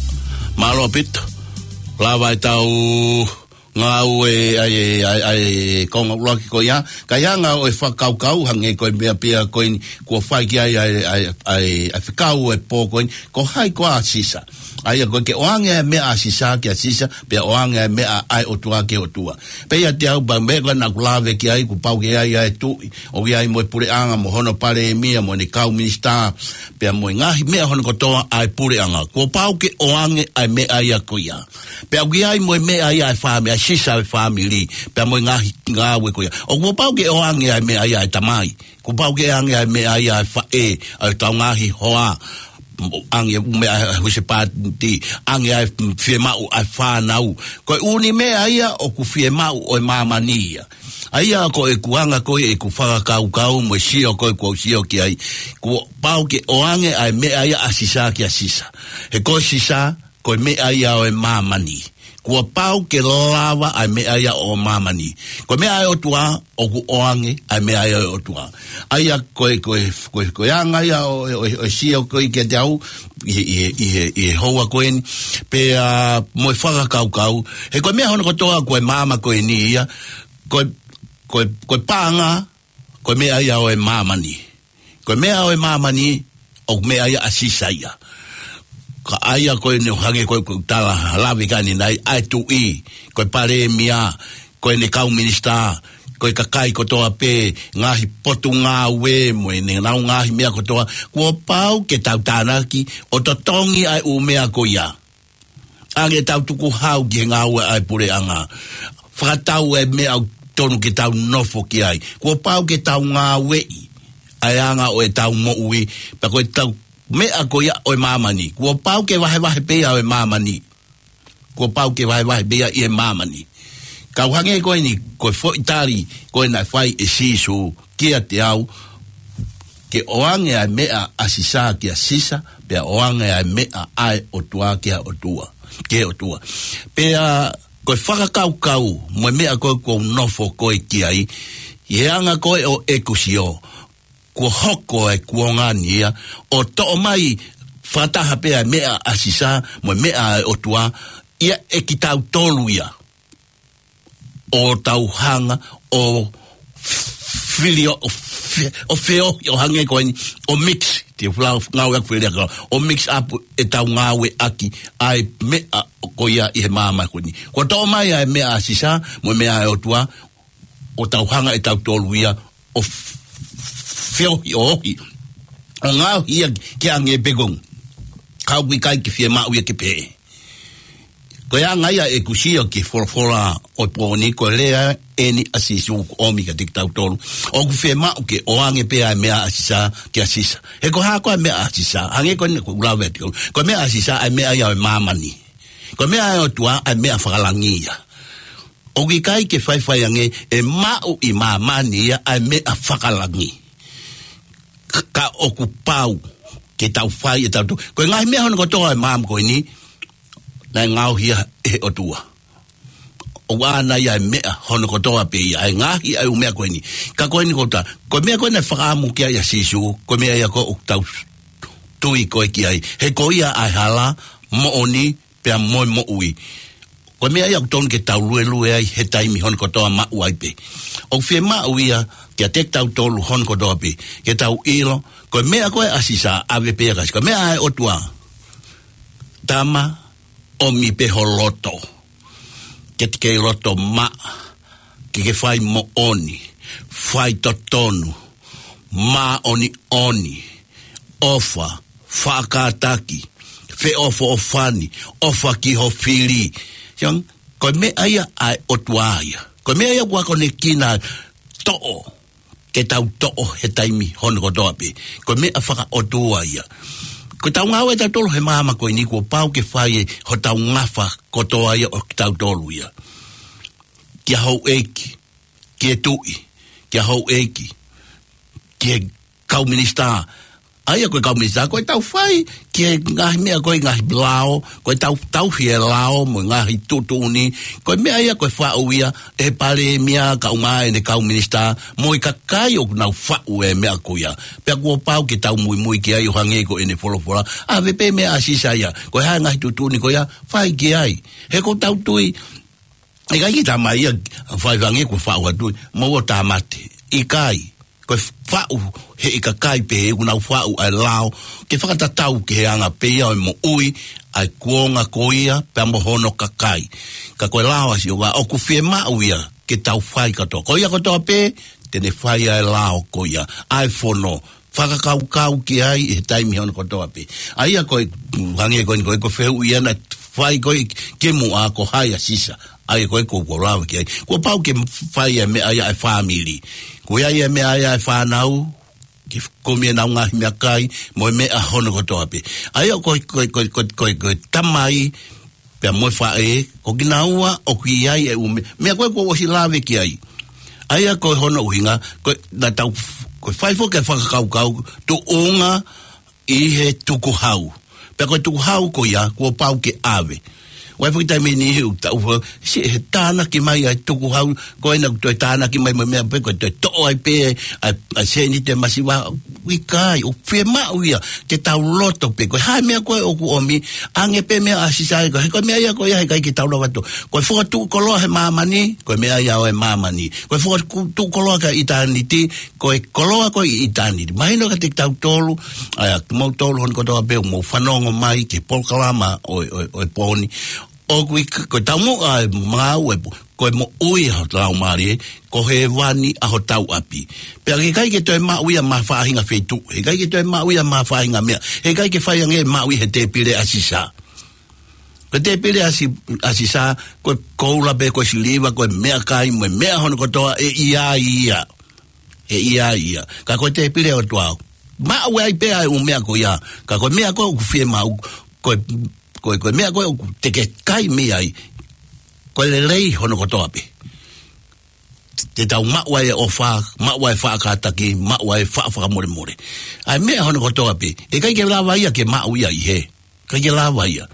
mālō ʻaupito. Lava ʻetau ngāue ʻa e, ʻa e, ʻa e konga ʻuluaki ko ia. Ka ʻi he anga ʻo e fakakaukau hangē ko e meʻa pē ia ko eni kuo fai ki ai ʻa e, ʻa e, ʻa e, ʻa e fekau ʻo e pō ko eni. Ko hai koā ʻa Sisa? ʻA ia ko e ke ʻoange ʻa e meʻa ʻa Sisa kia Sisa, pea ʻoange ʻa e meʻa ʻa e ʻOtua kia ʻOtua. Pea ʻiate au pea meʻa ko ē naʻa ku lave ki ai, kuo pau ke ʻi ai ʻa e tuʻi, ʻo ʻi ai mo e puleʻanga, mo hono palēmia, mo ʻene kau minisitā, pea mo e ngaahi meʻa hono kotoa ʻa e puleʻanga. Kuo pau ke ʻoange ʻa e meʻa ia ko ia. Pea ʻoku ʻi ai mo e meʻa ia ʻa e fāmi-, ʻa e Sisa ʻa e fāmili, pea mo e ngaahi ngāue ko ia. ʻOku pau ke ʻoange ʻa e meʻa ia ʻa e tamai. Kuo pau ke ʻoange ʻa e meʻa ia ʻa e faʻē, ʻa ʻetau ngaahi hoa, ʻoange ʻa e meʻa ʻa e husepāniti, ʻoange ʻa e fiemaʻu ʻa e fānau. Ko e ʻū meʻa ia ʻoku fiemaʻu ʻo e māmani ia. ʻA ia ko ʻeku anga ko ē ʻeku fakakaukau mo e sio ko ē kuo u sio ki ai. Kuo pau ke ʻoange ʻa e meʻa ia ʻa Sisa kia Sisa. He ko Sisa, ko e meʻa ia ʻo e māmani. Kuo pau ke lava ʻa e meʻa ia ʻo māmani. Ko e meʻa ʻa e ʻOtua, ʻoku ʻoange ʻa e meʻa ia ʻo e ʻOtua. ʻA ia ko e, ko e, ko e, ko e anga ia ʻo, ʻo, ʻo e sio ko ē kiate au, ʻi he, ʻi he, ʻi he, ʻi he houa ko eni. Pea mo e fakakaukau. He ko e meʻa hono kotoa ko e maama ko eni ia. Ko e, ko e, ko e paʻanga, ko e meʻa ia ʻo e māmani. Ko e meʻa ʻo e māmani, ʻoku meʻa ia ʻa Sisa ia. Ka ʻa ia ko eni ʻo hangē ko e, ko e tala lave ki ai ʻanenai, ʻa e tuʻi, ko e palēmia, ko ʻene kau minisitā, ko e kakai kotoa pē, ngaahi potungāue, mo ʻenau ngaahi meʻa kotoa, kuo pau ke tau tānaki, ʻo totongi ʻa e ʻū meʻa ko ia. ʻAnge ʻetau tukuhau ki he ngāue ʻa e puleʻanga. Fakatau e meʻa ʻoku tonu ke tau nofo ki ai. Kuo pau ke tau ngāueʻi ʻa e anga ʻo ʻetau moʻui. Pea ko ʻetau meʻa ko ia ʻo e māmani. Kuo pau ke vahevahe pē ia ʻo e māmani. Kuo pau ke vahevahe pē ia ʻi he māmani. Kau hangē ko eni, ko e foʻi tali, ko ē naʻe fai ʻe Sīsū kiate au, ke ʻoange ʻa e meʻa ʻa Sisa kia Sisa, pea ʻoange ʻa e meʻa ʻa e ʻOtua kia ʻOtua, ki he ʻOtua. Pea ko e fakakaukau, mo e meʻa ko ē ʻoku ou nofo ko ē ki ai, ʻi he anga ko ē ʻo ʻeku sio, kuo hoko e kuonga ni ia, ʻo toʻo mai fakataha pē ʻa e meʻa ʻa Sisa, mo e meʻa ʻa e ʻOtua, ia ʻe kitautolu ia. ʻO tau hanga ʻo filio, ʻo fe-, ʻo feohi, ʻo hangē ko eni, ʻo mix, te u flau ngāue aku fele aka, ʻo mix up ʻetau ngāueʻaki ʻa e meʻa ko ia ʻi he maama ko eni. Kuo toʻo mai ʻa e meʻa ʻa Sisa, mo e meʻa ʻa e ʻOtua, ʻo tau hanga ʻe tautolu ia, ʻo f-, feohi, ʻo ohi. ʻO ngaohi ia ke ange pē konga. Ka ʻoku ʻikai ke fiemaʻu ia ke pehē. Ko e anga ia ʻeku sio ki he folofola ʻo e pō ni, ko e lea eni ʻa Sīsū ʻoku ʻomi kiate kitautolu. ʻOku fiemaʻu ke ʻoange pē ʻa e meʻa ʻa Sisa kia Sisa. He ko e hā koā ʻa e meʻa ʻa Sisa? Hangē ko eni ʻoku ou lave atu. Ko e meʻa ʻa Sisa, ʻa e meʻa ia ʻo e māmani. Ko e meʻa ʻa e ʻOtua, ʻa e meʻa fakalangi ia. ʻOku ʻikai ke faifai ange ʻe maʻu ʻi māmani ia ʻa e meʻa fakalangi. Ka, ka ʻoku pau ke tau fai ʻe tautolu. Ko e ngaahi meʻa hono kotoa ʻa e maama ko eni, naʻe ngaohi ia ʻe he ʻOtua. ʻOku ʻaʻana ia ʻa e meʻa hono kotoa pē ia, ʻa e ngaohi ʻa e ʻū meʻa ko eni. Ka ko eni ko ta, ko e meʻa ko ē naʻe fakaʻamu ki ai ʻa Sīsū, ko e meʻa ia ko ē ʻoku tau tui ko ē ki ai. He ko ia ʻa e hala, moʻoni, pea mo e moʻui. Ko e meʻa ia ʻoku tonu ke tau luelue ai he taimi hono kotoa maʻu ai pē. ʻOku fiemaʻu ia kiate kitautolu hono kotoa pē. Ke tau ʻilo, ko e meʻa ko ē ʻa Sisa ʻave pē ia kia Sisa. Ko e meʻa ʻa e ʻOtua. Tama, ʻomi pē ho loto. Ke te kei loto maʻa. Ke ke fai moʻoni. Fai totonu. Māʻoniʻoni. ʻOfa. Faʻa kātaki. feʻofoʻofani, ʻofa ki ho fili. Siʻi, ko e meʻa ia ʻa e ʻOtua ia. Ko e meʻa ia ʻoku akonekina toʻo, ke tau toʻo he taimi hono kotoa pē. Ko e meʻa fakaʻotua ia. Ko ʻetau ngāue ʻatautolu he māmani ko eni kuo pau ke fai ʻe hotau ngafa kotoa ia ʻo kitautolu ia. Kia houʻeiki, kia tuʻi, kia houʻeiki, kia kau minisitā. ʻA ia ko e kau minisitā, ko ʻetau fai ki he ngaahi meʻa ko e ngaahi lao, ko ʻetau tauhi e lao mo e ngaahi tuʻutuʻuni, ko e meʻa ia ko e faʻu ia ʻe he palēmia kae ʻumaʻā ʻene kau minisitā, mo e kakai ʻoku nau faʻu e meʻa ko ia. Pea kuo pau ke tau muimui ki ai ʻo hangē ko ʻene folofola. ʻAve pē meʻa ʻa Sisa ia, ko e hā e ngaahi tuʻutuʻuni ko ia, fai ki ai. He ʻoku tau tui, ʻikai ke tā mai ia, fai hangē ko e faʻu atu, mo ʻo tāmate. ʻIkai. Ko e faʻu he ʻikai pē he ʻoku nau faʻu ʻa e lao, ke fakatatau ki he anga pē ia ʻo e moʻui ʻa e kuonga ko ia, pea mo hono kakai. Ka ko e lao ʻa Sihova, ʻoku fiemaʻu ia ke tau fai kātoa. Ko ia kotoa pē, te ne fai ʻa e lao ko ia, ʻa e fono, fakakaukau ki ai he taimi hono kotoa pē. ʻA ia ko e, hangē ko eni ko e, ko e fehuʻi ia naʻe fai ko e kimuʻa ko hai ʻa Sisa. ʻA ia ko e ko, ko lava ki ai. Kuo pau ke fai e meʻa ia ʻa e fāmili. Ko ia ia meʻa ia ʻa e fānau, ke kumi ʻenau ngaahi meʻakai, mo e meʻa hono kotoa pē. ʻA ia ko e, ko e, ko e, ko e, ko e, ko e tamai, pea mo e faʻē, ko kinaua, ʻoku ʻi ai e ʻū meʻa, meʻa ko ē kuo ʻosi lave ki ai. ʻA ia ko hono ʻuhinga, ko e, naʻa tau, ko e fai foki e fakakaukau, tuʻunga ʻi he tukuhau. Pea ko e tukuhau ko ia, kuo pau ke ʻave. ʻOku ʻi ai foki taimi ʻe niʻihi ʻoku tau fa-, siʻi he tānaki mai ʻa e tukuhau, ko ena ʻoku toe tānaki mai mo e meʻa pē, ko e toe toʻo ai pē, ʻa e, ʻa e sēniti masiva, ʻikai, ʻoku fiemaʻu ia, ke tau loto pē, ko e hā e meʻa ko ē ʻoku ʻomi, ʻoange pē meʻa ʻa Sisa ia, ko e, ko e meʻa ia ko ia, heʻikai ke tau lava atu. Ko e fokotuʻu koloa he māmani, ko e meʻa ia ʻo e māmani. Ko e fokotuʻu koloa ki ʻitāniti, ko e koloa ko ē ʻi ʻitāniti. Mahino kiate kitautolu, ʻa ia, kimoutolu hono kotoa pē ʻoku mou fanongo mai ki he polokalama ʻo, ʻo, ʻo e pō ni. ʻOku ʻi, ko e taumuʻa e ngāue, ko e moʻui ʻa hotau laumālie, ko hēvani ʻa hotau ʻapi. Pea heʻikai ke toe maʻu ia mei ha faʻahinga feituʻu, heʻikai ke toe maʻu ia mei ha faʻahinga meʻa, heʻikai ke fai ange maʻu ia he tēpile ʻa Sisa. Ko e tēpile ʻa Si-, ʻa Sisa, ko e koula pē, ko e siliva, ko e meʻakai, mo e meʻa hono kotoa ʻe ʻi ai ia. ʻE ʻi ai ia. Ka ko e tēpile ʻo e ʻOtua, maʻu ai pē ʻa e ʻū meʻa ko ia. Ka ko e meʻa ko ē ʻoku fiemaʻu, ko e, ko e, ko e meʻa ko ē ʻoku te ke kai mei ai, ko e lelei hono kotoa pē. Te tau maʻu ai e ʻofa, maʻu ai e faʻa kātaki, maʻu ai e faʻa fakamolemole. ʻA e meʻa hono kotoa pē, heʻikai ke lava ia ke maʻu ia ʻi hē. ʻIkai ke lava ia.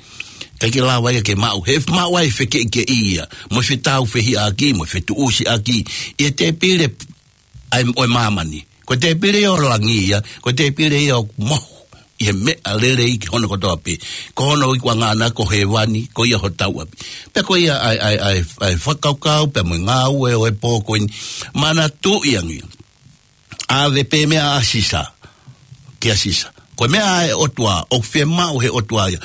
ʻIkai ke lava ia ke maʻu. He maʻu ai e fekeʻikeʻi ia, mo e fetāufehiʻaki, mo e fetuʻusiʻaki ʻi he tēpile ʻa e, ʻo e māmani. Ko e tēpile ʻo langi ia, ko e tēpile ia ʻoku mohu ʻi he meʻa lelei ki hono kotoa pē. Ko hono ikuʻanga ʻana ko hēvani, ko ia hotau ʻapi. Pea ko ia ʻa e, ʻa e, ʻa e, ʻa e fakakaukau, pea mo e ngāue ʻo e pō ko eni. Manatuʻi ange. ʻAve pē meʻa ʻa Sisa, kia Sisa. Ko e meʻa ʻa e ʻOtua, ʻoku fiemaʻu he ʻOtua ia.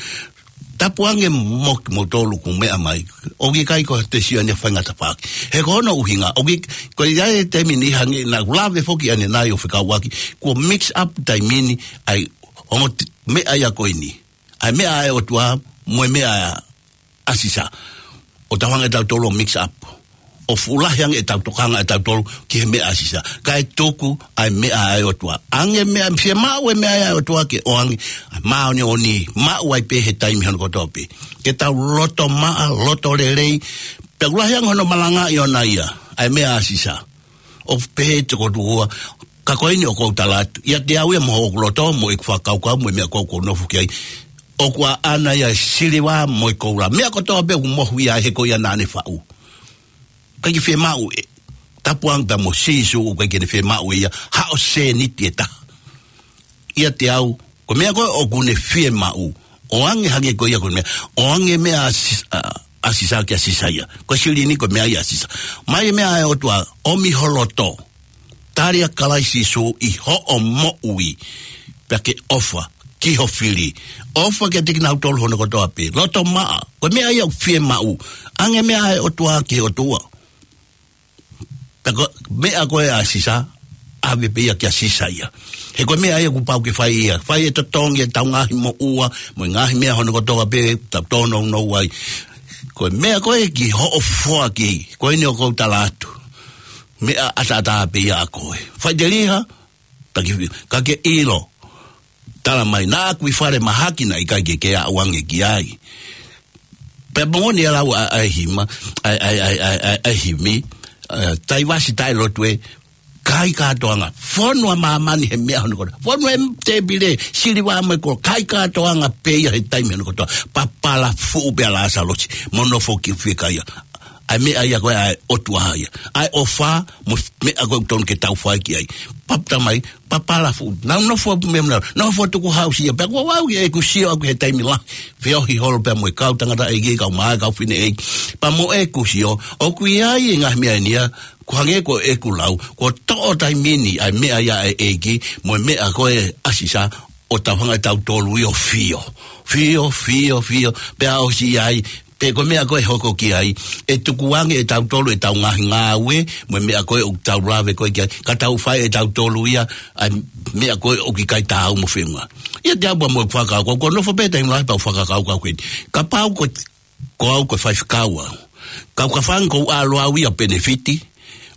Tapu ange mo kimoutolu ʻoku meʻa mai. ʻOku ʻikai ko ha tesioni faingataʻa paki. He ko hono ʻuhinga, ʻoku ʻi-, ko ia e taimi ni hangē naʻa ku lave foki ʻanenai ʻo fekauʻaki, kuo mix up taimi ni ʻa e ongo t-, meʻa ia ko eni. ʻA e meʻa ʻa e ʻOtua, mo e meʻa ʻa Sisa. ʻO tau hanga ʻe tautolu ʻo mix up. ʻO fuʻu lahi ange ʻetau tokanga ʻe tautolu ki he meʻa ʻa Sisa. Kae tuku ʻa e meʻa ʻa e ʻOtua. ʻAnge meʻa, fiemaʻu e meʻa ʻa e ʻOtua ke ʻoange. ʻA e māʻoniʻoni, maʻu ai pē he taimi hono kotoa pē. Ke tau loto maʻa, loto lelei. Pea ʻoku lahi ange hono malangaʻi ʻona ia. ʻA e meʻa ʻa Sisa. ʻO pehē ʻe he tokotaha, ka ko eni ʻoku ou tala atu. ʻIate au ia mo hoku loto, mo ʻeku fakakaukau, mo e meʻa ko ē ʻoku ou nofo ki ai. ʻOku ʻaʻana ia e siliva mo e koula. Meʻa kotoa pē ʻoku mohu ia he ko ia naʻa ne faʻu. ʻIkai ke fiemaʻu ʻe. Tapu ange pea mo Sīsū ʻoku ʻikai ke ne fiemaʻu ʻe ia. Haʻo sēniti ʻe taha. ʻIate au, ko e meʻa ko ē ʻoku ne fiemaʻu, ʻoange hangē ko ia ko e meʻa, ʻoange meʻa ʻa Sis-, ʻa, ʻa Sisa kia Sisa ia. Ko e silini ko e meʻa ia ʻa Sisa. Mai e meʻa ʻa e ʻOtua, ʻomi ho loto. Tali ʻa Kalaisi Sīsū ʻi hoʻo moʻui. Pea ke ʻofa, ki ho fili. ʻOfa kiate kinautolu hono kotoa pē. Loto maʻa, ko e meʻa ia ʻoku fiemaʻu. ʻAnge meʻa ʻa e ʻOtua ki he ʻOtua. Pea ko e meʻa ko ē ʻa Sisa, ʻave pē ia kia Sisa ia. He ko e meʻa ia kuo pau ke fai ia. Fai e totongi ʻetau ngaahi moʻua, mo e ngaahi meʻa hono kotoa pē, tau tōnounou ai. Ko e meʻa ko ē ki hoʻo foaki, ko eni ʻoku ou tala atu. Meʻa ʻataʻatā pē ia ʻa koe. Faʻiteliha, taki, ka ke ʻilo. Tala mai, naʻa ku ʻi fale mahaki naʻe ʻikai ke ke aʻu ange ki ai. Pea moʻoni e lau ʻa, ʻa e himi, ʻa, ʻa, ʻa, ʻa, ʻa e himi, ē, taivasi taʻelotu ē, kai kātoanga, fonu ʻa māmani he meʻa hono kotoa. Fonu e tēpile, siliva mo e koloa, kai kātoanga pē ia he taimi hono kotoa. Papala fuʻu pē ʻa Lāsalosi, mo nofo ki fiekaia. ʻA e meʻa ia ko ē ʻa e ʻOtua ia. ʻA e ʻofa, mo e meʻa ko ē ʻoku tonu ke tau fai ki ai. Pap tamai, papala fuʻu. Nau nofo ʻo meʻa nau, nofo ʻo tukuhausi ia. Pea ko au ʻi heʻeku sio ʻaku he taimi lahi. Feohi holo pea mo e kau tangataʻeiki, kau maʻa, kau fineʻeiki. Pea mo ʻeku sio, ʻoku ʻi ai e ngaahi meʻa eni ia, ko e hangē ko ʻeku lau, kuo toʻo taimi ni ʻa e meʻa ia ʻa e ʻEiki, mo e meʻa ko ē ʻa Sisa, ʻo tau hanga ʻe tautolu ia ʻo fio. Fio, fio, fio, pea ʻosi ai, pe ko e meʻa ko ē hoko ki ai, ʻe tukuange ʻe tautolu ʻetau ngaahi ngāue, mo e meʻa ko ē ʻoku tau lave ko ē ki ai, ka tau fai ʻe tautolu ia, ʻa e meʻa ko ē ʻoku ʻikai taau mo e feʻunga. ʻIate au pea mo ʻeku fakakaukau, ko e nofo pē taimi lahi pea u fakakaukau ko eni. Kapau ko, ko au ko e faifekau au. Kau ka fanga ʻoku ou ʻalu au ia ʻo penefiti,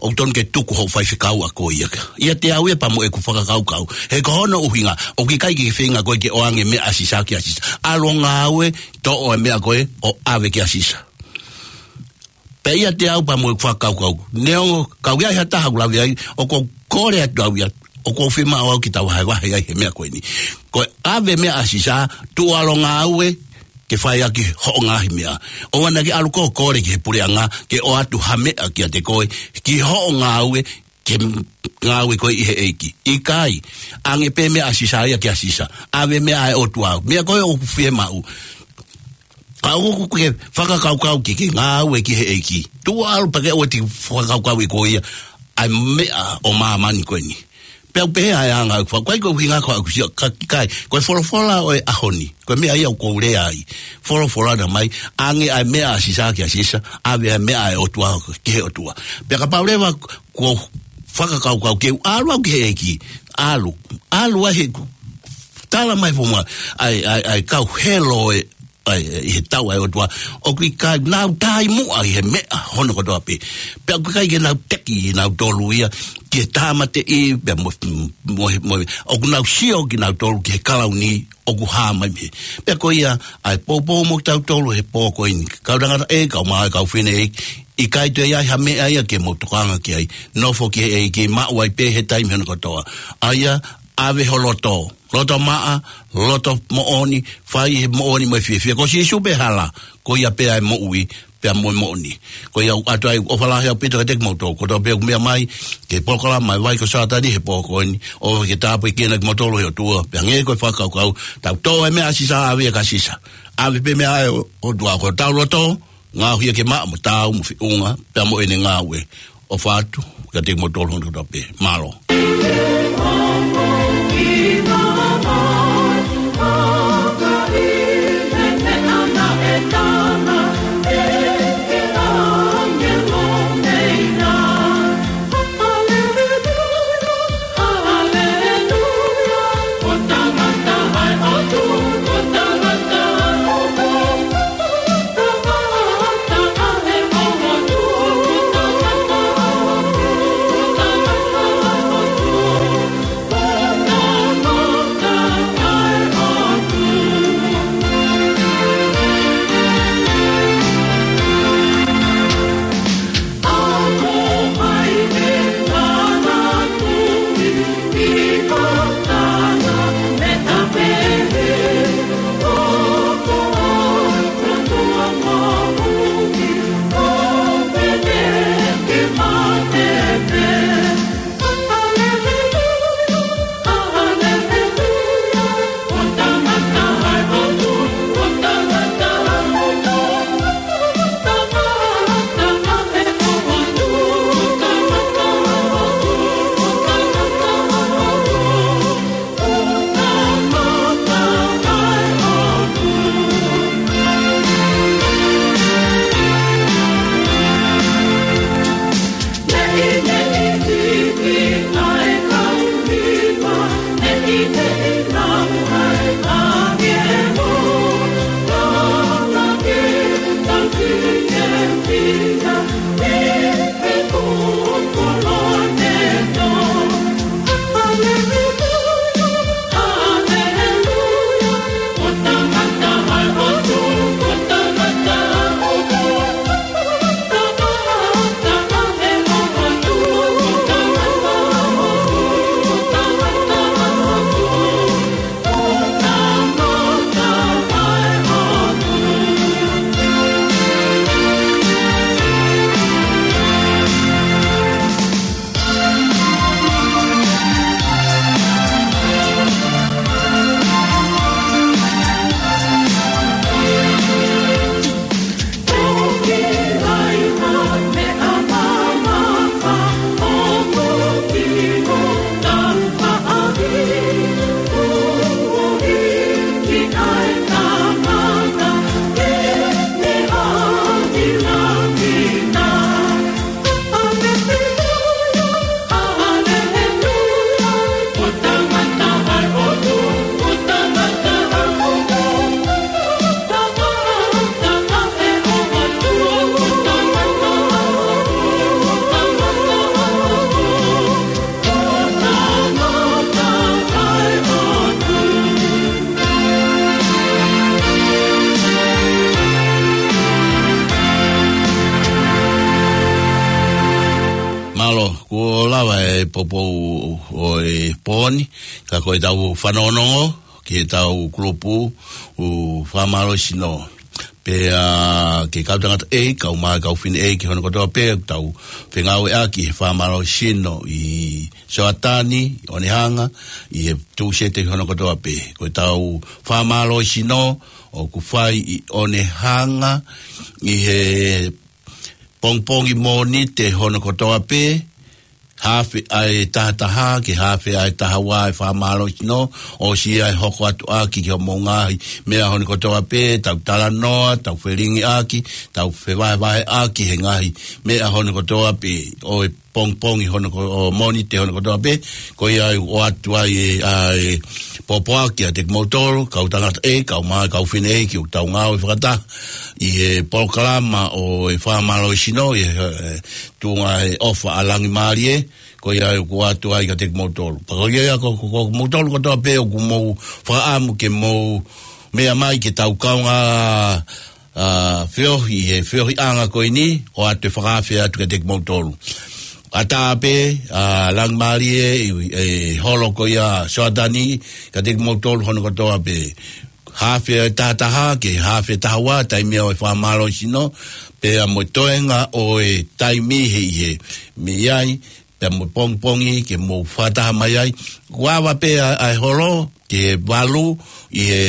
ʻoku tonu ke tuku hoʻo faifekau ʻa koe ia. ʻIate au ia pea mo ʻeku fakakaukau. He ko hono ʻuhinga, ʻoku ʻikai ke feinga koe ke ʻoange meʻa ʻa Sisa kia Sisa. ʻAlu ʻo ngāue, toʻo e meʻa ko ē, ʻo ʻave kia Sisa. Pea ʻiate au pea mo ʻeku fakakaukau. Neongo, ka ʻoku ʻi ai ha taha ʻoku lave ai, ʻoku ou kole atu au ia, ʻoku ou fiemaʻu au ke tau vahevahe ai he meʻa ko eni. Ko e ʻave meʻa ʻa Sisa, tuʻu ʻalu ʻo ngāue, ke fai ʻaki hoʻo ngaahi meʻa. ʻOua naʻa ke ʻalu koe ʻo kole ki he puleʻanga, ke ʻoatu ha meʻa kiate koe, ki hoʻo ngāue, ke ngāue koe ʻi he ʻEiki. ʻIkai, ʻange pē meʻa ʻa Sisa ia kia Sisa. ʻAve meʻa ʻa e ʻOtua. Meʻa ko ē ʻoku fiemaʻu. Ka ʻoku ke fakakaukau ke ke ngāue ki he ʻEiki. Tuʻu ʻalu pea ke ʻoua te ke fakakaukau ʻe koe ia ʻa e meʻa ʻo māmani ko eni. Pea u pehē ʻa e anga ʻeku faka-, ko e ʻuhinga ko ʻeku sio, ka ʻikai, ko e folofola ʻo e ʻaho ni. Ko e meʻa ia ʻoku ou lea ai. Folofola naʻe mai, ʻange ʻa e meʻa ʻa Sisa kia Sisa, ʻave ʻa e meʻa ʻa e ʻOtua ki he ʻOtua. Pea kapau leva kuo u fakakaukau ke u ʻalu au ki he ʻEiki, ʻalu, ʻalu ai he ku-, tala mai fo ma, ʻa e, ʻa e, ʻa e kau helo ē, ʻa e, ʻi he tau ʻa e ʻOtua, ʻoku ʻikai nau tai muʻa ʻi he meʻa hono kotoa pē. Pea ʻoku ʻikai ke nau teki ʻe nautolu ia, ki he tāmateʻi, pea mo, mo, mo, ʻoku nau sio kinautolu ki he kalauni, ʻoku hā mai mei hē. Pea ko ia, ʻa e poupou mo kitautolu he pō ko eni. Kau tangataʻeiki, kau maʻa, kau fineʻeiki, ʻikai toe ʻi ai ha meʻa ia ke mou tokanga ki ai. Nofo ki he ʻEiki, maʻu ai pē he taimi hono kotoa. ʻA ia, ʻave ho loto. Loto maʻa, loto moʻoni, fai he moʻoni mo e fiefia. Ko Sīsū pē hala, ko ia pē ʻa e moʻui, pea mo e moʻoni. Ko ia ʻoku ʻoatu ai ʻofa lahi ʻaupito kiate kimoutolu kotoa pē ʻoku meʻa mai ki he polokalama ʻa e Vai ko Sātani he pō ko eni, ʻofa ke tāpuekina kimoutolu ʻe he ʻOtua, pea hangē ko e fakakaukau, tau toʻo e meʻa ʻa Sisa, ʻave ia kia Sisa. ʻAve pē meʻa ʻa e ʻOtua, ko hotau loto, ngaohi ia ke maʻa mo taau mo feʻunga, pea mo ʻene ngāue. ʻOfa atu kiate kimoutolu hono kotoa pē. Mālō. poupou ʻo e pō ni, ka ko ʻetau fanongonongo ki heʻetau kulupu ʻo e fakamālohisino. Pea ke kau tangata ʻeiki, kau mā, kau fefine ʻeiki hono kotoa pē, tau fengāueʻaki he fakamālohisino ʻi Soatani, ʻOnehanga, ʻi he Tūsite hono kotoa pē. Ko ʻetau fakamālohisino ʻoku fai ʻi ʻOnehanga, ʻi he pongipongi Mōnite hono kotoa pē, haafe ʻa e taha taha, ke haafe ʻa e taha ua e fakamālohisino, ʻosi ia ʻe hoko atu ʻaki ki hoʻomou ngaahi meʻa hono kotoa pē, tau talanoa, tau felingiʻaki, tau fevahevaheʻaki he ngaahi meʻa hono kotoa pē, ʻo e pongipongi hono ko-, ʻo Mōnite hono kotoa pē, ko ia ʻoku ʻoatu ai e, ʻa e pōpoaki kiate kimoutolu, kau tangata ʻeiki, kau mā, kau fefine ʻeiki, ʻoku tau ngāue fakataha ʻi he polokalama ʻo e fakamālohisino, ʻi he, e, tuʻunga he ʻofa ʻa Langimālie, ko ia ʻoku ʻoatu ai kiate kimoutolu. Pea ko ia ko, ko, ko kimoutolu kotoa pē ʻoku mou fakaʻamu ke mou meʻa mai ke tau kaungā, ʻa, feohi, he feohiʻanga ko eni, ʻoatu e fakaafe atu kiate kimoutolu. ʻAtā pē, ʻa, Langimālie, ʻi, ʻi he holo ko ia Soatani, kiate kimoutolu hono kotoa pē. Haafe e taha taha, ke haafe taha ua, taimi ʻo e fakamālohisino, pea mo e toenga ʻo e taimi he ʻi he mei ai, pea mo e pongipongi ke mou fakataha mai ai. Kuo ava pē ʻa, ʻa e holo ki he valu ʻi he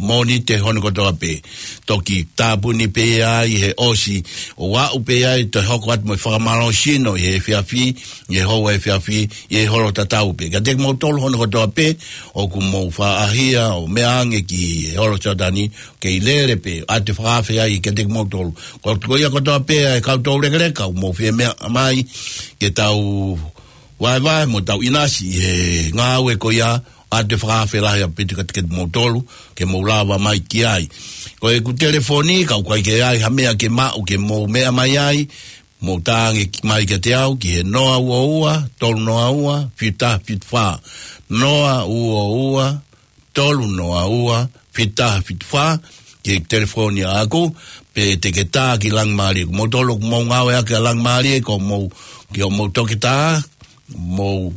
Mōnite hono kotoa pē. Toki tāpuni pē ia ʻi he ʻosi ʻo aʻu pē ai, toe hoko atu mo e fakamālohisino ʻi he efiafi, ʻi he houa efiafi, ʻi he holo tatau pē. Kiate kimoutolu hono kotoa pē, ʻoku mou faʻahia ʻo meʻa ange ki he holo Soatani, kei lele pē, ʻoatu e fakaafe ai kiate kimoutolu. Ko, ko ia kotoa pē ʻa e kau toulekeleka, ʻoku mou fie meʻa mai, ke tau vaevae mo tau ʻinasi he ngāue ko ia, ʻoatu e fakaafe lahi ʻaupito kiate kimoutolu, ke mou lava mai ki ai. Ko ʻeku telefoni, ka ʻoku ʻikai ke ʻi ai ha meʻa ke maʻu ke mou meʻa mai ai, mou tā ange ki, mai kiate au, ki he noa ua ua, tolu noa ua, fitu taha fitu fā. Noa ua ua, tolu noa ua, fitu taha fitu fā, ki he telefoni ʻaʻaku, pe te ke tā ki Langimālie. Ko moutolu ʻoku mou ngāueʻaki ʻa Langimālie, ko mou, ki hoʻomou toketā, mou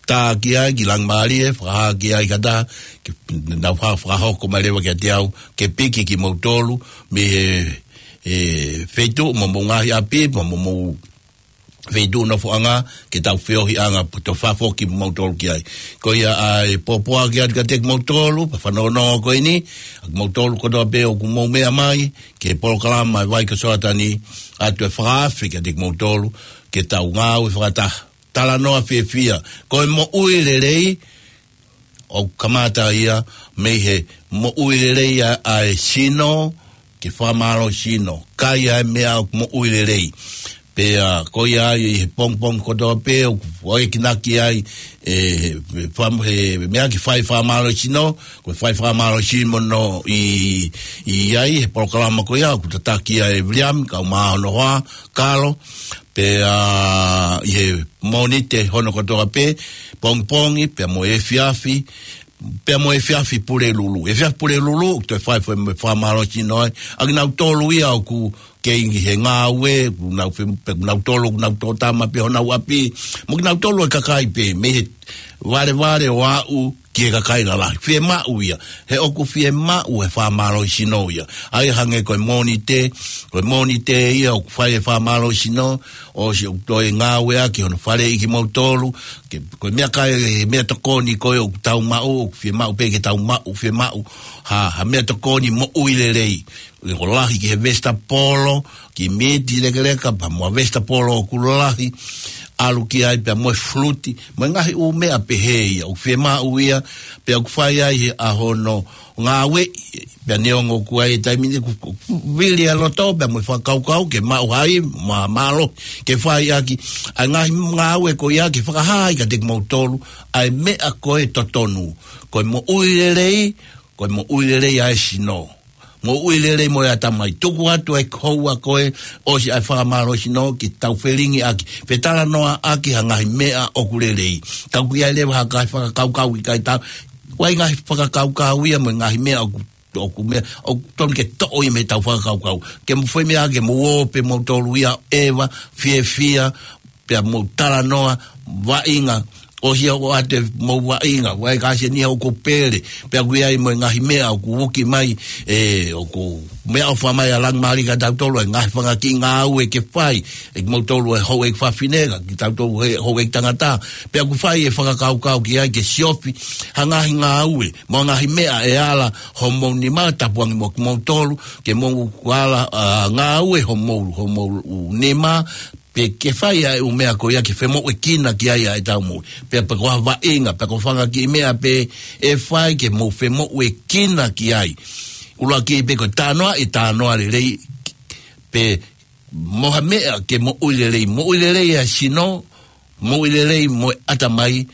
tā ki ai, ki Langimālie, fakahā ki ai kata, ke nau fa-, fakahoko mai leva kiate au, ke piki kimoutolu, mei he, e, feituʻu mo hoʻomou ngaahi ʻapi, mo hoʻomou feituʻu nofoʻanga, ke tau feohiʻanga, pea toe fakafoki moutolu ki ai. Ko ia ʻa e pōpoaki atu kiate kimoutolu, pea fanongonongo ko eni, ʻa kimoutolu kotoa pē ʻoku mou meʻa mai, ki he polokalama ʻa e Vai ko Soatani, ʻoatu e fakaafe kiate kimoutolu, ke tau ngāue fakataha. Talanoa fiefia, ko e moʻui lelei, ʻoku kamata ia mei he moʻui lelei ʻa, ʻa e sino, ke fakamālohisino, kai ʻa e meʻa ʻoku moʻui lelei. Pea ko ia ai ʻi he pongipongi kotoa pē, ʻoku ʻoekinaki ai, e, he fam-, he meʻa ke fai fakamālohisino, ko e fai fakamālohisino ʻi, ʻi ai, he polokalama ko ia, ʻoku tataki ai ʻe Viliami, kau mā hono hoa, Kalo, pea ʻi he Mōnite hono kotoa pē, pongipongi, pea mo e efiafi, pea mo e efiafi Pulelulu. Efiafi Pulelulu, ʻoku toe fai foʻi mo e fakamālohisino ai. ʻA kinautolu ia ʻoku kei he ngāue, ʻoku nau fe-, pe ʻoku nau tolo, ʻoku nau tōtama pē honau ʻapi. Mo kinautolu e kakai pē, mei he valevale ʻo aʻu ki he kakai lalahi. Fiemaʻu ia. He ʻoku fiemaʻu e fakamālohisino ia. ʻA ia hangē ko e Mōnite, ko e Mōnite ia ʻoku fai e fakamālohisino, ʻosi ʻoku toe ngāueʻaki hono faleʻi kimoutolu, ke, ko e meʻakai, meʻatokoni ko ē ʻoku tau maʻu, ʻoku fiemaʻu pē ke tau maʻu, fiemaʻu ha, ha meʻatokoni moʻui lelei. ʻI he lahi ki he vesitapolo, kiʻi miti lekeleka, pea mo e vesitapolo ʻoku lahi, ʻalu ki ai pea mo e fuluti, mo e ngaahi ʻū meʻa pehē ia, ʻoku fiemaʻu ia, pea ʻoku fai ai he ʻaho hono ngāue, pea neongo ʻoku ʻi ai e taimi ni ʻoku, ʻoku vili ʻa e loto, pea mo e fakakaukau, ke maʻu hai, mā-, mālohi, ke fai ʻaki, ʻa e ngaahi ngāue ko ia ke fakahā ai kiate kimoutolu, ʻa e meʻa ko e totonu, ko e moʻui lelei, ko e moʻui lelei ʻa e sino. Moʻui lelei mo e ʻatamai. Tuku atu e houa ko ē ʻosi ʻa e fakamālohisino ke tau felingiʻaki. Fetalanoaʻaki ha ngaahi meʻa ʻoku lelei. Ka ʻoku ʻi ai leva ha ngaahi fakakaukau ʻikai tau. ʻOku ʻi ai ngaahi fakakaukau ia mo e ngaahi meʻa ʻoku, ʻoku meʻa, ʻoku tonu ke toʻo ia mei heʻetau fakakaukau. Ke mou fai meʻa ke mou ō pē moutolu ia ʻeva, fiefia, pea mou talanoa vaʻinga, ʻosi ia ʻoku ʻoatu mou vaʻinga, ʻoku ʻi ai e kāsenia ʻoku pele, pea ʻoku ʻi ai mo e ngaahi meʻa ʻoku uki mai, ʻe, ʻoku meʻaʻofa mai ʻa Langimalili kia tautolu, ʻa e ngaahi fanga kiʻi ngāue ke fai, ʻe kimoutolu ʻa e houʻeiki fafine, ka kitautolu ʻa e houʻeiki tangata, pea ʻoku fai e fakakaukau ki ai ke siofi ha ngaahi ngāue, mo e ngaahi meʻa ʻe ala homou nima, tapu ange mo kimoutolu, ke mou ala, ʻa, ngāue homou, homou nima, pe ke fai ʻa e ʻū meʻa ko ia ke femoʻuekina ki ai ʻa ʻetau moʻui. Pea pe ko ha vaʻinga, pe ko e fanga kiʻi meʻa pē ʻe fai ke mou femoʻuekina ki ai. ʻUluaki pē ko e talanoa, ʻe talanoa lelei, pe mo ha meʻa ke moʻui lelei. Moʻui lelei ʻa e sino, moʻui lelei mo e ʻatamai,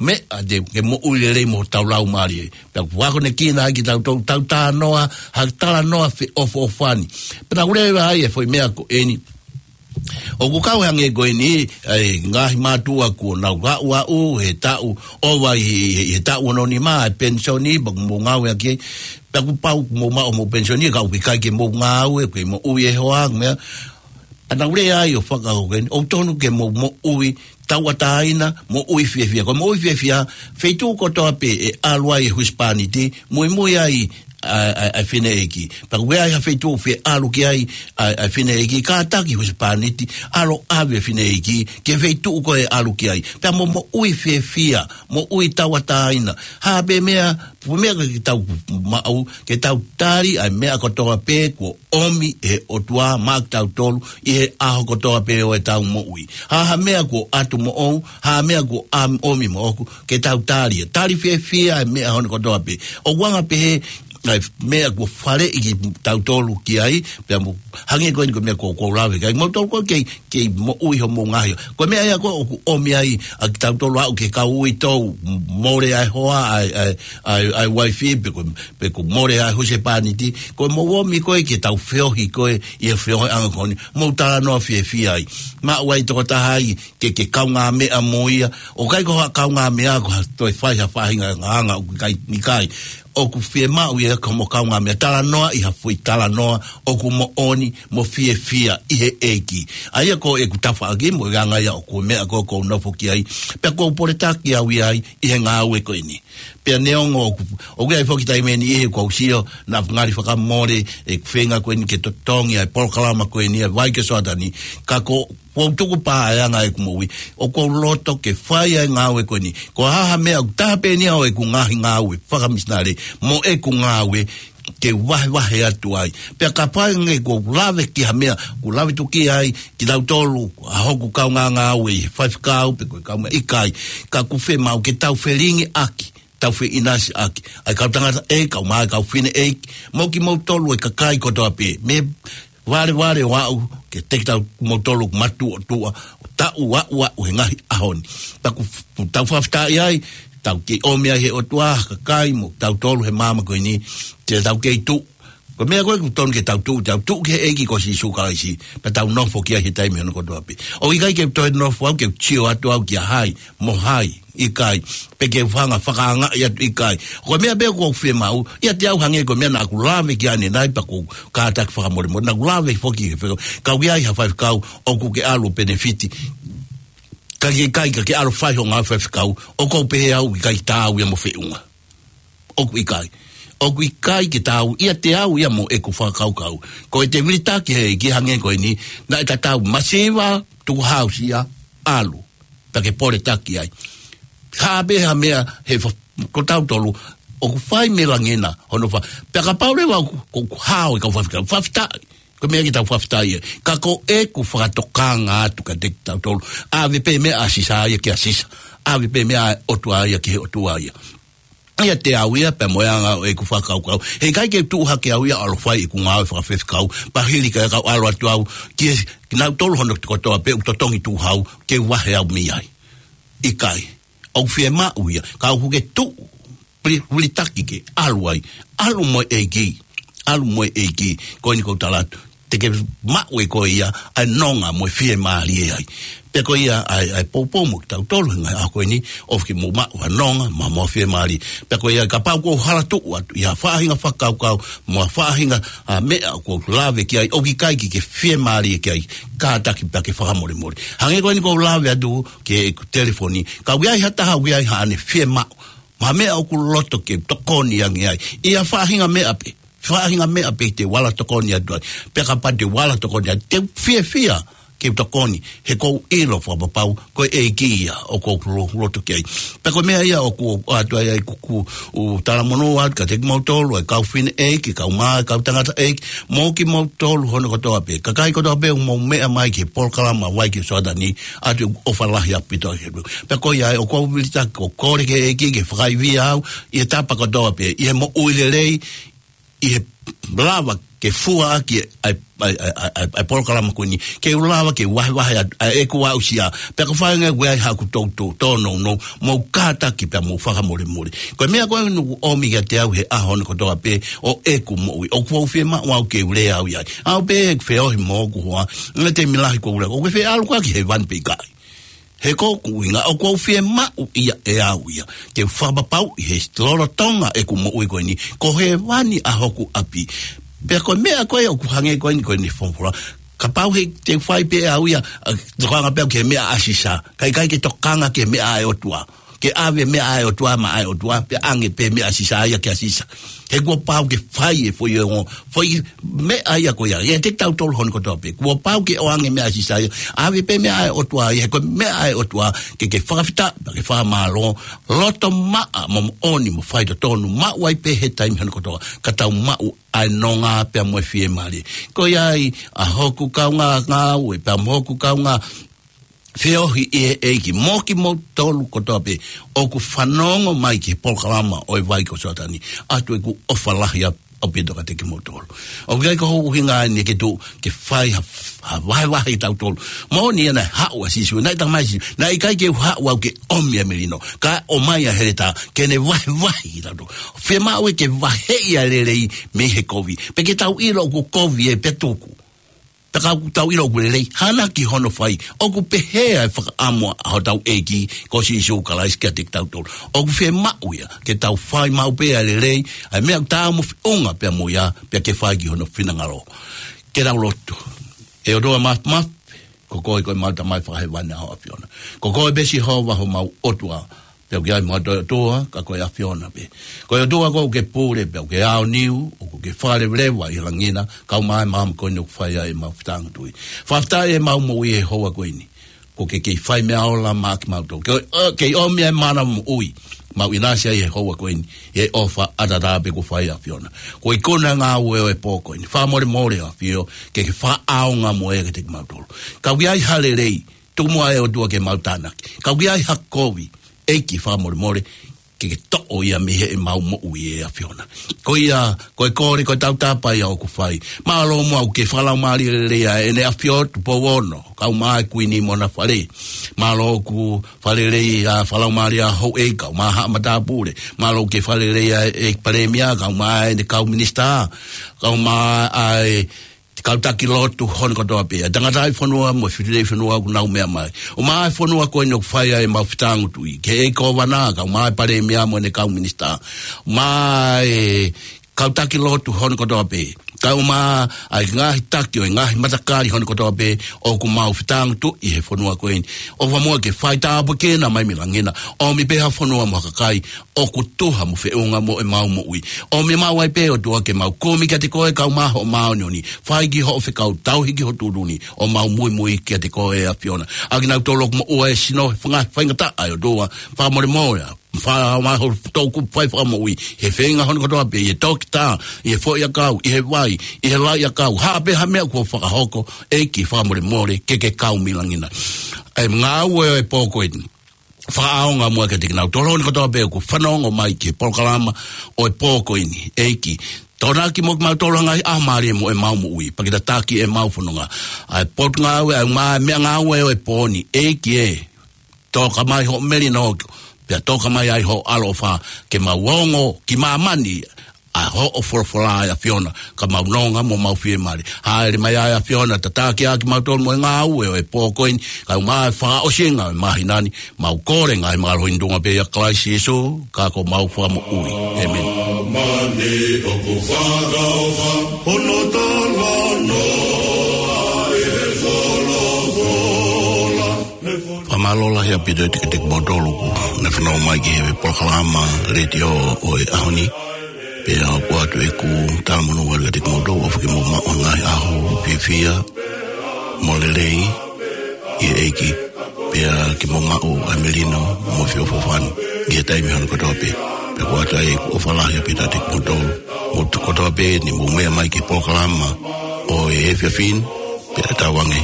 meʻa te ke moʻui lelei mo hotau laumālie. Pea ʻoku akonekina ai kitautolu, tau talanoa, ha talanoa feʻofoʻofani. Pea naʻa ku lea ai e foʻi meʻa ko eni. ʻOku kau hangē ko eni, ʻa e ngaahi mātuʻa kuo nau aʻuaʻu, he taʻu, ʻova ʻi, ʻi, ʻi he taʻu ono nima, ʻa e penisoni, pea kuo mou ngāueʻaki, pea kuo pau kuo mou maʻu homou penisoni, ka ʻoku ʻikai ke mou ngāue, ke moʻui e hoa, meʻa, ʻa naʻa ku lea ai ʻo fakahoko eni, ʻoku totonu ke mou moʻui tauʻatāina, moʻui fiefia. Ko e moʻui fiefia, feituʻu kotoa pē ʻe ʻalu ai e husepāniti, muimui ai ʻa, ʻa, ʻa e fineʻeiki. Pea ʻoku ʻi ai ha feituʻu ʻoku ʻalu ki ai ʻa, ʻa e fineʻeiki, kātaki husepāniti, ʻalu ʻave e fineʻeiki ki he feituʻu ko ē ʻe ʻalu ki ai. Pea mo moʻui fiefia, moʻui tauʻatāina. Ha pē meʻa, pē meʻa ke tau maʻu, ke tau tali ʻa e meʻa kotoa pē kuo ʻomi ʻe he ʻOtua maʻa kitautolu ʻi he ʻaho kotoa pē ʻo ʻetau moʻui. Ha, ha meʻa kuo ʻatu moʻou, ha meʻa kuo ʻam-, ʻomi moʻoku, ke tau tali ia. Tali fiefia ʻa e meʻa hono kotoa pē. ʻOku anga pē he, ʻa e meʻa kuo faleʻi kitautolu ki ai, pea mo, hangē ko eni ko e meʻa ko, ko e lave ki ai. Moutolu ko ē kei, kei moʻui homou ngaahi. Ko e meʻa ia ko ē ʻoku ʻomi ai ʻa kitautolu ʻo aʻu ki he kau uitou, mole ʻa e hoa, ʻa e, ʻa e, ʻa e, ʻa e uaifi, pe ko, pe ko e mole ʻa e husepāniti, ko e mou ʻomi ko ē ke tau feohi ko ē, ʻi he feohiʻanga ko eni, mou talanoa fiefia ai. Maʻu ai tokotaha ai, ke, ke kaungāmeʻa mo ia, ʻoku ʻikai ko ha kaungāmeʻa ko ha toe fai ha faʻahinga anga, ʻoku ʻikai, ʻikai. ʻOku fiemaʻu ia ko hoʻomo kaungāmeʻa talanoa ʻi ha foʻi talanoa ʻoku moʻoni mo fiefia ʻi he ʻEiki. ʻA ia ko ʻeku tafaʻaki mo e anga ia ʻoku meʻa ko ē ʻoku ou nofo ki ai. Pea ʻoku ou poletaki au ia ai ʻi he ngāue ko eni. Pea neongo ʻoku, ʻoku ʻi ai foki taimi ʻe niʻihi ʻoku ou sio, naʻa ngali fakamole, ʻeku feinga ko eni ke totongi ʻa e polokalama ko eni, ʻa e Vaike Soatani, ka ko ʻoku ou tuku pē ʻa e anga ʻeku moʻui. ʻOku ou loto ke fai ʻa e ngāue ko eni. Ko ha ha meʻa ʻoku taha pē eni ʻa ʻeku ngaahi ngāue fakamisinale, mo ʻeku ngāue ke vahevahe atu ai. Pea kapau ʻe ʻikai ke u lave ki ha meʻa, ʻoku lave tuki ai kitautolu, ʻa hoku kaungāngāue ʻi he faifekau, pe ko e kaungāmeʻa, ʻikai. Ka ʻoku fiemaʻu ke tau felingiʻaki, tau feʻinasiʻaki ʻa e kau tangata ʻeiki, kau mā, kau fineʻeiki, mo kimoutolu e kakai kotoa pē. Mei valevale ʻo aʻu kiate kitautolu matuʻotuʻa, taʻu ʻo aʻu he ngaahi ʻaho ni. Pea ʻoku f-, tau fakafetaʻi ai, tau kei ʻomi ai ʻe he ʻOtua ha kakai mo tautolu he māmani ko eni, te tau kei tuʻu. Ko e meʻa ko ē ʻoku totonu ke tau tuʻu, tau tuʻu ki he ʻEiki ko Sīsū Kalaisi, pea tau nofo ki ai he taimi hono kotoa pē. ʻOku ʻikai ke u toe nofo au ke u sio atu au kia hai, mo hai, ʻikai. Pe ke u hanga ʻo fakaangaʻi atu, ʻikai. Ko e meʻa pē ʻoku ou fiemaʻu, ʻiate au hangē ko e meʻa naʻa ku lave ki ai ʻanenai, pea ʻoku ou kātaki fakamolemole. Naʻa ku lave foki he fekau, ka ʻoku ʻi ai ha faifekau ʻoku ke ʻalu ʻo penefiti. Ka ke ʻikai, ka ke ʻalu ʻo fai hoʻo ngāue faifekau, ʻoku ou pehē au ʻikai taau ia mo feʻunga. ʻOku ʻikai. ʻOku ʻikai ke taau ʻiate au ia mo ʻeku fakakaukau. Ko ʻete vilitaki he ʻEiki hangē ko eni, naʻe tatau masiva, tukuhausia, ʻalu. Pea ke poletaki ai. Ha pē ha meʻa he fa-, ko tautolu, ʻoku fai mei langi na, hono fa-, pea kapau leva ʻoku, ʻoku hao e kau faifekau, fakafetaʻi. Ko e meʻa ke tau fakafetaʻi ai. Ka ko ʻeku fakatokanga atu kiate kitautolu. ʻAve pē meʻa ʻa Sisa ia kia Sisa. ʻAve pē meʻa ʻa e ʻOtua ia ki he ʻOtua ia. ʻIate au ia, pea mo e anga ʻo ʻeku fakakaukau. He ʻikai ke tuʻu hake au ia ʻo ʻalu ʻo fai ʻeku ngāue fakafaifekau. Pea hili ka kau ʻalu atu au, ki he, kinautolu hono kotoa pē ʻoku totongi tuʻu hau, ke vahe au mei ai. ʻIkai. ʻOku fiemaʻu ia, ka ʻoku ke tuʻu, pili-, vilitaki ke ʻalu ai. ʻAlu mo e ʻEiki. ʻAlu mo e ʻEiki. Ko eni ʻoku ou tala atu. te ke maʻu ʻe koe ia ʻa e nonga mo e fiemālie ai. Pea ko ia ʻa e, ʻa e poupou mo kitautolu he ngaahi ʻaho ko eni, ʻoku ke mou maʻu ʻa e nonga mo e fiemālie. Pea ko ia kapau ʻoku ou hala tuʻu atu ʻi ha faʻahinga fakakaukau mo ha faʻahinga ʻa e meʻa ʻoku ou lave ki ai, ʻoku ʻikai ke ke fiemālie ki ai, kātaki pea ke fakamolemole. Hangē ko eni ʻoku ou lave atu ki heʻeku telefoni, ka ʻoku ʻi ai ha taha ʻoku ʻi ai haʻane fiemaʻu, mo ha meʻa ʻoku loto ke tokoni ange ai ʻi ha faʻahinga meʻa pē, faʻahinga meʻa pē te u ala tokoni atu ai. Pea kapau te u ala tokoni atu, te u fiefia ke u tokoni, he ʻoku ou ʻilo fakapapau ko e ʻEiki ia ʻoku ou lo-, loto ki ai. Pea ko e meʻa ia ʻoku ou ʻoatu ai ʻeku, ʻeku talamonū atu kiate kimoutolu, ʻa e kau fineʻeiki, kau mā, kau tangataʻeiki, mo kimoutolu hono kotoa pē, kakai kotoa pē ʻoku mou meʻa mai ki he polokalama Vai ki Soatani, ʻoatu ʻeku ʻofa lahi ʻaupito ʻi he. Pea ko ia ʻoku ou vilitaki ʻo kole ki he ʻEiki ke fakaivia au ʻi he tapa kotoa pē, ʻi he moʻui lelei, ʻi he lava ke fua ʻaki ʻa e, ʻa e, ʻa e, ʻa e, ʻa e polokalama ko eni, ke u lava ke vahevahe atu ʻa ʻeku aʻusia, pea kapau ʻe ʻi ai haʻaku toutou tōnounou, mou kātaki pea mou fakamolemole. Ko e meʻa ko ē ʻoku ʻomi kiate au he ʻaho ni kotoa pē ʻo ʻeku moʻui, ʻoku ou fiemaʻu au ke u lea au ʻi ai. ʻAu pē ʻeku feohi mo hoku hoa, ngaahi taimi lahi ʻoku ou lea, ʻoku ke fie ʻalu koe ki hēvani pe ʻikai? He ko hoku ʻuhinga ʻoku ou fiemaʻu ia ʻe au ia ke u fakapapauʻi he lolotonga ʻeku moʻui ko eni, ko hēvani ʻa hoku ʻapi. Pea ko e meʻa ko ē ʻoku hangē ko eni ko eni folofola, kapau he te u fai pē au ia, ʻa, tokanga pē au ki he meʻa ʻa Sisa, kae ʻikai ke tokanga ki he meʻa ʻa e ʻOtua. Ke ʻave meʻa ʻa e ʻOtua maʻa e ʻOtua, pea ʻange pē meʻa ʻa Sisa ia kia Sisa. He kuo pau ke fai e foʻi ongo, foʻi meʻa ia ko ia, ʻiate kitautolu hono kotoa pē. Kuo pau ke ʻoange meʻa ʻa Sisa ia, ʻave pē meʻa ʻa e ʻOtua ia, he ko e meʻa ʻa e ʻOtua ke ke fakafetaʻi, ke fakamālō, loto maʻa mo moʻoni mo faitotonu, maʻu ai pē he taimi hono kotoa, ka tau maʻu ʻa e nonga pea mo e fiemālie. Ko ia ai ʻa hoku kaungā ngāue, pea mo hoku kaungā feohi ʻi he ʻEiki, mo kimoutolu kotoa pē ʻoku fanongo mai ki he polokalama ʻo e Vai ko Soatani, ʻoatu ʻeku ʻofa lahi ʻaupito kiate kimoutolu. ʻOku ʻikai ko hoku ʻuhinga eni ke tuʻu ke fai ha, ha vahevahe kitautolu. Moʻoni ia naʻe haʻu ʻa Sīsū, naʻe talamai ʻe Sīsū, naʻe ʻikai ke u haʻu au ke ʻomi ʻa e melino, ka ʻomai ʻa e heletā ke ne vahevahe kitautolu. Fiemaʻu ia ke vaheʻi ʻa e lelei mei he kovi. Pea ke tau ʻilo ʻoku kovi ē pea tuku. Pea ka ʻoku tau ʻilo ʻoku lelei, hana ki hono fai. ʻOku pehē ʻa e fakaʻamu ʻa hotau ʻEiki ko Sīsū Kalaisi kiate kitautolu. ʻOku fiemaʻu ia ke tau fai maʻu pē ʻa e lelei, ʻa e meʻa ʻoku taau mo feʻunga pea mo ia, pea ke fai ki hono finangalo. Ke tau lotu. ʻE ʻOtua Māfimafi, ko koe ko ʻemau Tamai Fakahēvani ʻa ho ʻAfiona. Ko koe pē Sihova homau ʻOtua, pea ʻoku ʻi ai mo ha toe ʻOtua ka ko e ʻAfiona pē. Ko e ʻOtua koe ʻoku ke pule pea ʻoku ke aoniu, ʻoku ke fakaleveleva ʻi he langi na, kae ʻumaʻā e māmani ko eni ʻoku fai ai ʻemau fetāngutuʻi. Fakafetaʻi ʻemau moʻui he houa ko eni. Kuo ke kei fai meʻa ola maʻa kimautolu. Ke, ʻo, kei ʻomi ʻa e mana moʻui. Mau ʻinasi ai he houa ko eni he ʻofa ʻataʻatā pē kuo fai ʻe he ʻAfiona. Ko e ikuna ngāue ʻo e pō ko eni. Fakamolemole ʻAfio, ke ke fakaʻaonga mo ia kiate kimautolu. Ka ʻoku ʻi ai ha lelei, tuku muʻa ʻe ʻOtua ke mau tānaki. Ka ʻoku ʻi ai ha kovi, ʻEiki fakamolemole, ke ke toʻo ia mei heʻemau moʻui ʻe ʻAfiona. Ko ia, ko e kole, ko e tautapa ia ʻoku fai. Mālō muʻa ʻoku ke fakalaumālie lelei ʻa ʻEne ʻAfio Tupou Ono, kae ʻumaʻā e Kuini mo hona fale. Mālō ʻoku fakalelei ʻa fakalaumālie ʻa houʻeiki, kae ʻumaʻā haʻa matāpule. Mālō ʻoku ke fakalelei ʻa e Palēmia, kae ʻumaʻā ʻene kau minisitā, kae ʻumaʻā ʻa e kau taki lotu hono kotoa pē, ʻa e tangataʻi fonua mo e fefine fonua ʻoku nau meʻa mai. ʻUmaʻā e fonua ko eni ʻoku fai ai ʻemau fetāngutuʻi. Ki he ʻEiki Kōvana, kae ʻumaʻā e Palēmia mo ʻene kau minisitā. ʻUmaʻā e kau taki lotu hono kotoa pē. Kae ʻumaʻā ʻa e ngaahi taki ʻo e ngaahi matakali hono kotoa pē ʻoku mau fetāngutuʻi he fonua ko eni. ʻOfa muʻa ke fai tāpuekina mai mei langi na. ʻOmi pē ha fonua mo ha kakai ʻoku tuha mo feʻunga mo ʻemau moʻui. ʻOmi maʻu ai pē ʻOtua ke mau kumi kiate koe kae ʻumaʻā hoʻo māʻoniʻoni. Fai ki hoʻo fekau, tauhi ki ho tuʻutuʻuni, ʻo mau muimui kiate koe ʻe ʻAfiona. ʻA kinautolu ʻoku moʻua e sino he fanga-, faingataʻa ʻe ʻOtua, fakamolemole ā. Fa-, ma ho toku fai fakamoʻui, he feinga hono kotoa pē, ʻi he toketā, ʻi he foʻiʻakau, ʻi he vai, ʻi he lauʻiʻakau, ha pē ha meʻa kuo fakahoko, ʻEiki fakamolemole, ke ke kau mei langi na. ʻA e ngāue ʻo e pō ko eni. Fakaʻaonga muʻa kiate kinautolu ni kotoa pē ʻoku fanongo mai ki he polokalama ʻo e pō ko eni, ʻEiki. Tokonaki mo kimautolu ʻi he ngaahi ʻaho mālie mo ʻemau moʻui, pea ke tataki ʻemau fononga. ʻA e potungāue, ʻa e ngā-, meʻangāue ʻo e pō ni, ʻEiki ē. Toka mai hoʻo melino, pea toka mai ai hoʻo ʻaloʻofa, ke mau ongo ki māmani, ʻa hoʻo folofola ʻe ʻAfiona, ka mau nonga mo mau fiemālie. Hāʻele mai ʻa e ʻAfiona, tataki ʻa kimautolu mo e ngāue ʻo e pō ko eni, kae ʻumaʻā e fakaʻosinga ʻo e māhina ni, mau kole ngaahi mālohi ni ʻi he huafa ʻo Kalaisi Sīsū, ka ko homau Fakamoʻui. ʻĒmeni. Mani ʻoku fakaʻofa, hono talanoa ʻe he folofola. Fakamālō lahi ʻaupito atu kiate kimoutolu kuo ne fanongo mai ki he polokalama letiō ʻo e ʻaho ni. Pea ʻoku ʻoatu ʻeku talamonū atu kiate kimoutolu, ʻofa ke mou maʻu ha ngaahi ʻaho fiefia mo lelei ʻi he ʻEiki. Pea ke mou maʻu ʻa e melino mo e feʻofoʻofani ʻi he taimi hono kotoa pē. Pea ʻoku ʻoatu ai ʻeku ʻofa lahi ʻaupito atu kiate kimoutolu. Mou tuʻu kotoa pē ni mou meʻa mai ki he polokalama ʻo e efiafi ni, pea tauange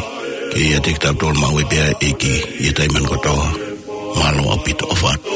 ke ʻiate kitautolu maʻu ai pē ʻa e ʻEiki ʻi he taimi hono kotoa. Mālō ʻaupito, ʻofa atu.